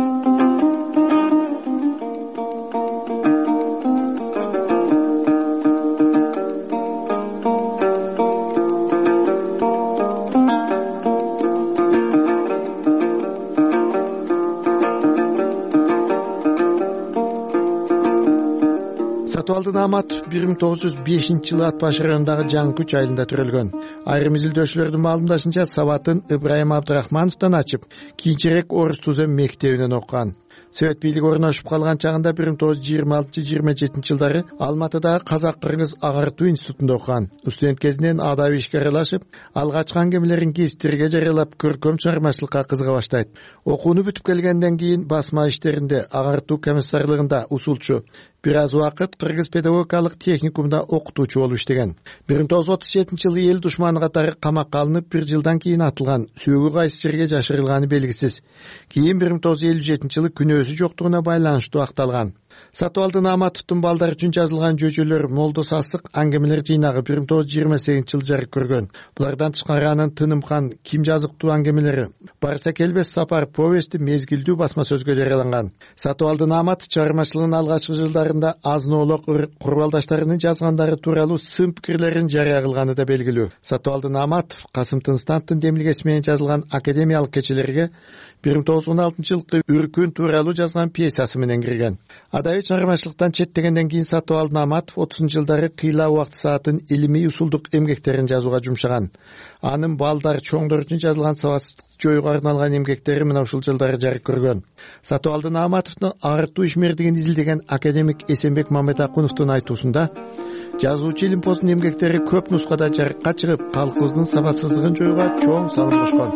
Сатыбалды Нааматов бир миң тогуз жүз бешинчи жылы Ат Баш районундагы Жаңы Күч айылында төрөлгөн. Айрым изилдөөчүлөрдүн маалымдашынча сабатын Ыбрайым Абдрахмановдон ачып, кийинчерээк Орус Тузем мектебинен окуган. Совет бийлиги орношуп калган чагында бир миң тогуз жүз жыйырма алтынчы жыйырма жетинчи жылдары Алматыдагы Казак-Кыргыз агартуу институтунда окуган. Студент кезинен адабий ишке аралашып, алгачкы аңгемелерин гезиттерге жарыялап, көркөм чыгармачылыкка кызыга баштайт. Окууну бүтүп келгенден кийин басма иштеринде, агартуу комиссарлыгында усулчу, бир аз убакыт Кыргыз педагогикалык техникумда окутуучу болуп иштеген. бир миң тогуз жүз отуз жетинчи жылы эл душманы катары камакка алынып, бир жылдан кийин атылган, сүйөгү кайсы жерге жашырылганы белгисиз. Кийин бир миң тогуз жүз элүү жетинчи жылы күнөөсү жоктугуна байланыштуу акталган. Сатыбалды Нааматовдун балдар үчүн жазылган жөжөлөр Молдо Сасык аңгемелер жыйнагы бир миң тогуз жүз жыйырма сегизинчи жылы жарык көргөн. Булардан тышкары анын Тынымхан, Ким жазыктуу аңгемелери, Барса келбес сапар повести мезгилдүү басма сөзгө жарыяланган. Сатыбалды Нааматов чыгармачылыгынын алгачкы жылдарында азын-оолок курбалдаштарынын жазгандары тууралуу сын пикирлерин жарыя кылганы да белгилүү. Сатыбалды Нааматов Касым Тыныстановдун демилгеси менен жазылган академиялык кечелерге бир миң тогуз жүз он алтынчы жылкы Үркүн тууралуу жазган пьесасы менен кирген. Адабий чыгармачылыктан четтегенден кийин Сатыбалды Нааматов отузунчу жылдары кыйла убакыт саатын илимий усулдук эмгектерин жазууга жумшаган. Анын балдар, чоңдор үчүн жазылган сабатсыздык жоюуга арналган эмгектери мына ушул жылдары жарык көргөн. Сатыбалды Нааматовдун агартуу ишмердигин изилдеген академик Эсенбек Мамедакуновдун айтуусунда, жазуучу илимпоздун эмгектери көп нускада жарыкка чыгып, калкыбыздын сабатсыздыгын жоюуга чоң салым кошкон.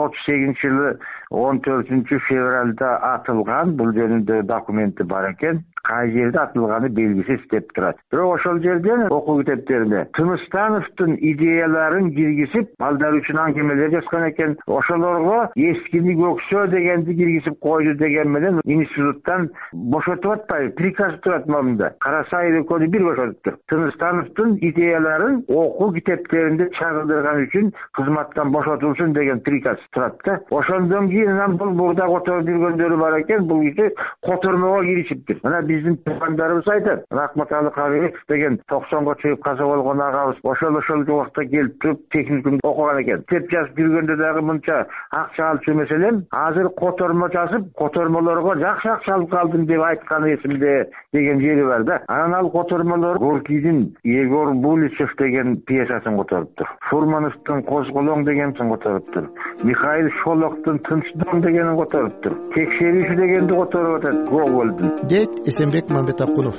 отуз сегизинчи жылы он төртүнчү февралда атылган, бул жөнүндө документи бар экен. Кай жерде атылганы белгисиз деп турат. Бирок ошол жерден окуу китептерине Тыныстановдун идеяларын киргизип, балдар үчүн аңгемелер жазган экен. Ошолорго эскини көксөө дегенди киргизип койду деген менен институттан бошотуп атпайбы, приказ турат момунда. Карасай экөөнү бир бошотуптур. Тыныстановдун идеяларын окуу китептеринде чагылдырган үчүн кызматтан бошотулсун деген приказ турат да. Ошондон кийин бул бурда которуп жүргөндөрү бар экен, бул киши котормого киришиптир. Мына биз биздин туугандарыбыз айтат. Рахматалы Карыбеков деген токсонго чыгып каза болгон агабыз ошол ошол убакта келип туруп техникумда окуган экен. Китеп жазып жүргөндө дагы мынча акча алып жүрмөс элем. Азыр котормо жазып, котормолорго жакшы акча алып калдым деп айтканы эсимде деген жери бар да. Анан ал котормолор Горкийдин Егор Буличев деген пьесасын которуптур. Фурмановдун Козголоң дегенин которуптур. Михаил Шолоктун Тынчдон дегенин которуптур. Текшерүүчү дегенди которуп атат Гогольдун. Дейт Эсенбек Мамбетакунов.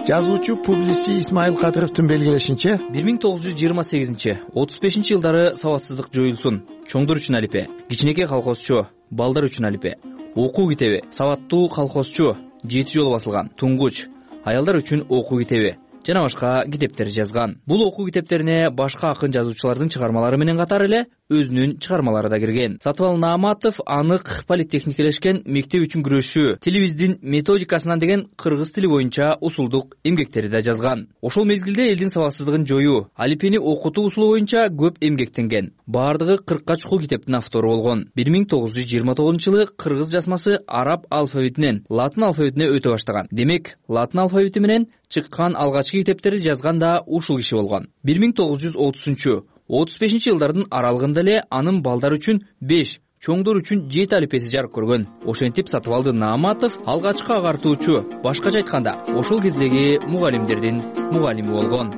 Жазуучу публицист Исмаил Кадыровдун белгилешинче, бир миң тогуз жүз жыйырма сегизинчи отуз бешинчи жылдары сабатсыздык жоюлсун. Чоңдор үчүн алипе, кичинекей колхозчу, балдар үчүн алипе, окуу китеби, сабаттуу колхозчу, жети жолу басылган, туңгуч, аялдар үчүн окуу китеби жана башка китептер жазган. Бул окуу китептерине башка акын жазуучулардын чыгармалары менен катар эле өзүнүн чыгармалары да кирген. Сатыбал Нааматов анык политехникелешкен мектеп үчүн күрөшүү, тилибиздин методикасынан деген кыргыз тили боюнча усулдук эмгектери да жазган. Ошол мезгилде элдин сабатсыздыгын жоюу, алипени окутуу усулу боюнча көп эмгектенген. Бардыгы кыркка чукул китептин автору болгон. бир миң тогуз жүз жыйырма тогузунчу жылы кыргыз жазмасы араб алфавитинен латын алфавитине өтө баштаган. Демек, латын алфавити менен чыккан алгачкы китептерди жазган да ушул киши болгон. бир миң тогуз жүз отузунчу отуз бешинчи жылдардын аралыгында эле анын балдар үчүн беш, чоңдор үчүн жети алипеси жарык көргөн. Ошентип Сатыбалды Нааматов алгачкы агартуучу, башкача айтканда, ошол кездеги мугалимдердин мугалими болгон.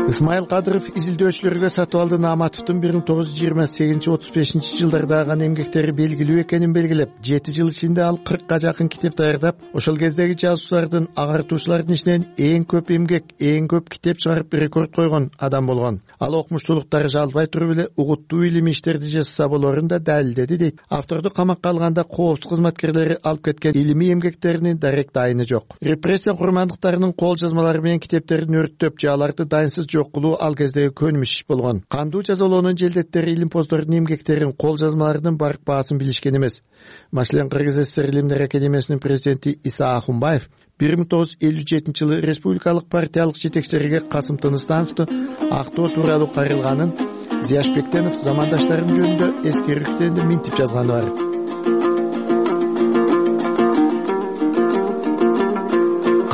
Исмаил Кадыров изилдөөчүлөргө Сатыбалды Нааматовдун бир миң тогуз жүз жыйырма сегизинчи отуз бешинчи жылдардагы эмгектери белгилүү экенин белгилеп, жети жыл ичинде ал кыркка жакын китеп даярдап, ошол кездеги жазуучулардын, агартуучулардын ичинен эң көп эмгек, эң көп китеп чыгарып рекорд койгон адам болгон. Ал окумуштуулуктары жалбай туруп эле угуттуу илимий иштерди жазса болорун да далилдеди дейт. Авторду камакка алганда коопсуз кызматкерлери алып кеткен илимий эмгектеринин дарек дайыны жок. Репрессия курмандыктарынын кол жазмалары менен китептерин өрттөп же аларды дайынсыз жок кылуу ал кездеги көнүмүш иш болгон. Кандуу жазалоонун желдеттери илимпоздордун эмгектерин, кол жазмаларынын барк баасын билишкен эмес. Маселен, Кыргыз ССР Илимдер академиясынын президенти Иса Ахунбаев бир миң тогуз жүз элүү жетинчи жылы республикалык партиялык жетекчилерге Касым Тыныстановду актоо тууралуу кайрылганын, Зияшбектенов замандаштарым жөнүндө эскерүүтүндө минтип жазганы бар.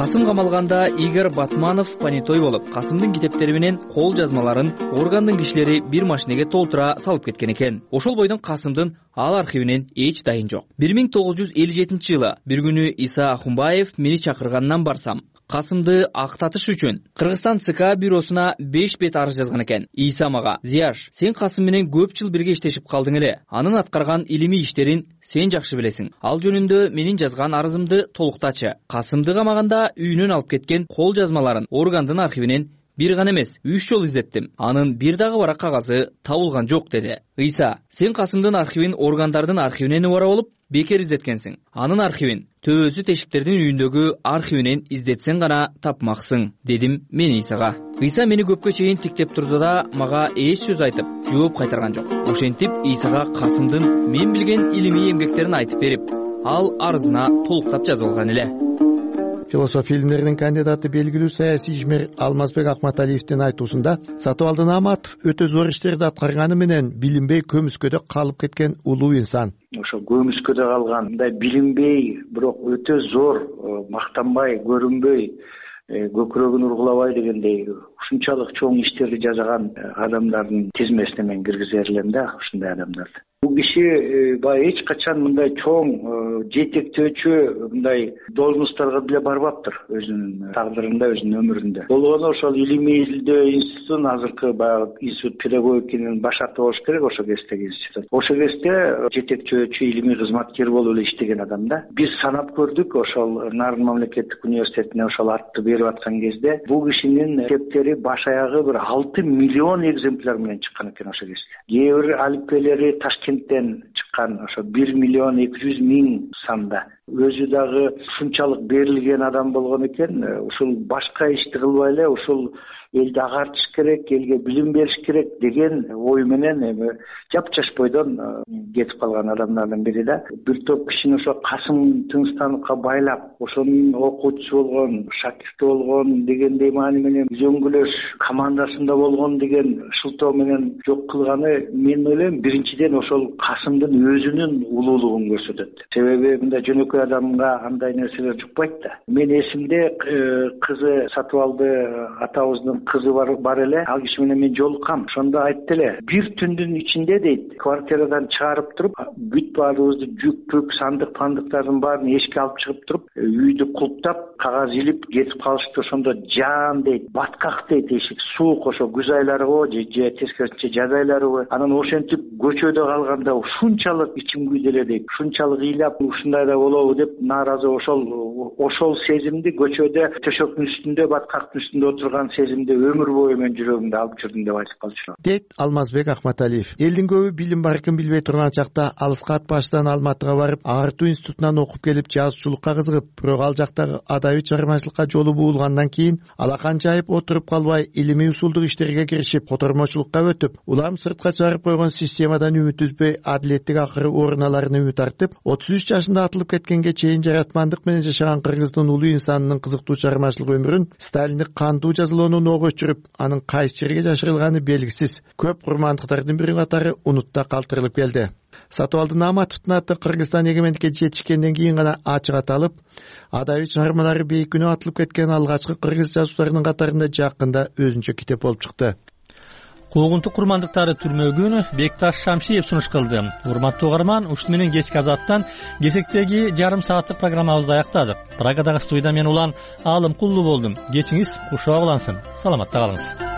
Касым камалганда Игорь Батманов понятой болуп, Касымдын китептери менен кол жазмаларын органдын кишилери бир машинеге толтура салып кеткен экен. Ошол бойдон Касымдын ал архивинен эч дайын жок. бир миң тогуз жүз элүү жетинчи жылы бир күнү Иса Ахунбаев мени чакыргандан барсам, Касымды актатыш үчүн Кыргызстан ЦК бюросуна беш бет арыз жазган экен. Иса мага: "Зияш, сен Касым менен көп жыл бирге иштешип калдың эле. Анын аткарган илимий иштерин сен жакшы билесиң. Ал жөнүндө менин жазган арызымды толуктачы. Касымды камаганда үйүнөн алып кеткен кол жазмаларын органдын архивинен бир гана эмес, үч жолу издеттим. Анын бир дагы барак кагазы табылган жок" деди. Иса: "Сен Касымдын архивин органдардын архивинен убара болуп бекер издеткенсиң. Анын архивин төбөсү тешиктердин үйүндөгү архивинен издетсең гана тапмаксың" дедим мен Исага. Иса мени көпкө чейин тиктеп турду да мага эч сөз айтып, жооп кайтарган жок. Ошентип Исага Касымдын мен билген илимий эмгектерин айтып берип, ал арызына толуктап жазып алган эле. Философия илимдеринин кандидаты, белгилүү саясий ишмер Алмазбек Акматалиевдин айтуусунда, Сатыбалды Нааматов өтө зор иштерди аткарганы менен билинбей көмүскөдө калып кеткен улуу инсан. Ошо көмүскөдө калган, мындай билинбей, бирок өтө зор, мактанбай, көрүнбөй, көкүрөгүн ургулабай дегендей ушунчалык чоң иштерди жасаган адамдардын тизмесине мен киргизер элем да, ушундай адамдарды. Бул киши баягы эч качан мындай чоң жетектөөчү мындай должностторго деле барбаптыр өзүнүн тагдырында, өзүнүн өмүрүндө. Болгону ошол илимий изилдөө институтунун азыркы баягы институт педагогиканын башаты болуш керек, ошол кездеги институт. Ошол кезде жетектөөчү илимий кызматкер болуп эле иштеген адам да. Биз санап көрдүк, ошол Нарын мамлекеттик университетине ошол атты берип аткан кезде бул кишинин китептери баш аягы бир алты миллион экземпляр менен чыккан экен ошол кезде. Кээ бир алипелери Ташкенттен чыккан, ошо бир миллион эки жүз миң санда. Өзү дагы ушунчалык берилген адам болгон экен, ушул башка ишти кылбай эле ушул элди агартыш керек, элге билим бериш керек деген ой менен эми жапжаш бойдон кетип калган адамдардын бири да. Бир топ кишини ошо Касым Тынчтановго байлап, ошонун окуучусу болгон, шакирти болгон дегендей маани менен үзөңгүлөш командасында болгон деген шылтоо менен жок кылганы, мен ойлойм, биринчиден ошол Касымдын өзүнүн улуулугун көрсөтөт. Себеби мындай жөнөкөй адамга андай нерселер жукпайт да. Мен эсимде, кызы Сатыбалды атабыздын кызы бар бар эле, ал киши менен мен жолуккам. Ошондо айтты эле, бир түндүн ичинде дейт, квартирадан чыгарып туруп, бүт баарыбызды жүк пүк, сандык пандыктардын баарын эшикке алып чыгып туруп, үйдү кулптап, кагаз илип кетип калышты. Ошондо жаан дейт, баткак дейт, эшик суук, ошо күз айларыбы же тескерисинче жаз айларыбы. Анан ошентип көчөдө калганда ушунчалык ичим күйдө эле дейт, ушунчалык ыйлап, ушундай да болобу деп нааразы. Ошол ошол сезимди көчөдө төшөктүн үстүндө, баткактын үстүндө отурган сезимди өмүр бою мен жүрөгүмдө алып жүрдүм деп айтып калчу дейт Алмазбек Акматалиев. Элдин көбү билим баркын билбей турган чакта алыска ат баштан Алматыга барып, агартуу институтунан окуп келип, жазуучулукка кызыгып, бирок ал жактагы адабий чыгармачылыкка жолу буулгандан кийин алакан жайып отуруп калбай, илимий усулдук иштерге киришип, котормочулукка өтүп, улам сыртка чыгарып койгон системадан үмүт үзбөй, адилеттик акыры орун аларын үмүт артып, отуз үч жашында атылып кеткенге чейин жаратмандык менен жашаган кыргыздын улуу инсанынын кызыктуу чыгармачылык өмүрүн сталиндик кандуу жазалоону ого өчүрүп, анын кайсы жерге жашырылганы белгисиз, көп курмандыктардын бири катары унутта калтырылып келди. Сатыбалды Нааматовдун аты Кыргызстан эгемендикке жетишкенден кийин гана ачык аталып, адабий чыгармалары бейкүнөө атылып кеткен алгачкы кыргыз жазуучуларынын катарында жакында өзүнчө китеп болуп чыкты. Куугунтук курмандыктары түрмөгүн Бекташ Шамшиев сунуш кылды. Урматтуу угарман, ушуну менен кечки азаттан кесектеги жарым сааттык программабызды аяктадык. Прагадагы студияда мен улан Алым Куллу болдум. Кечиңиз кушоо улансын. Саламатта калыңыз.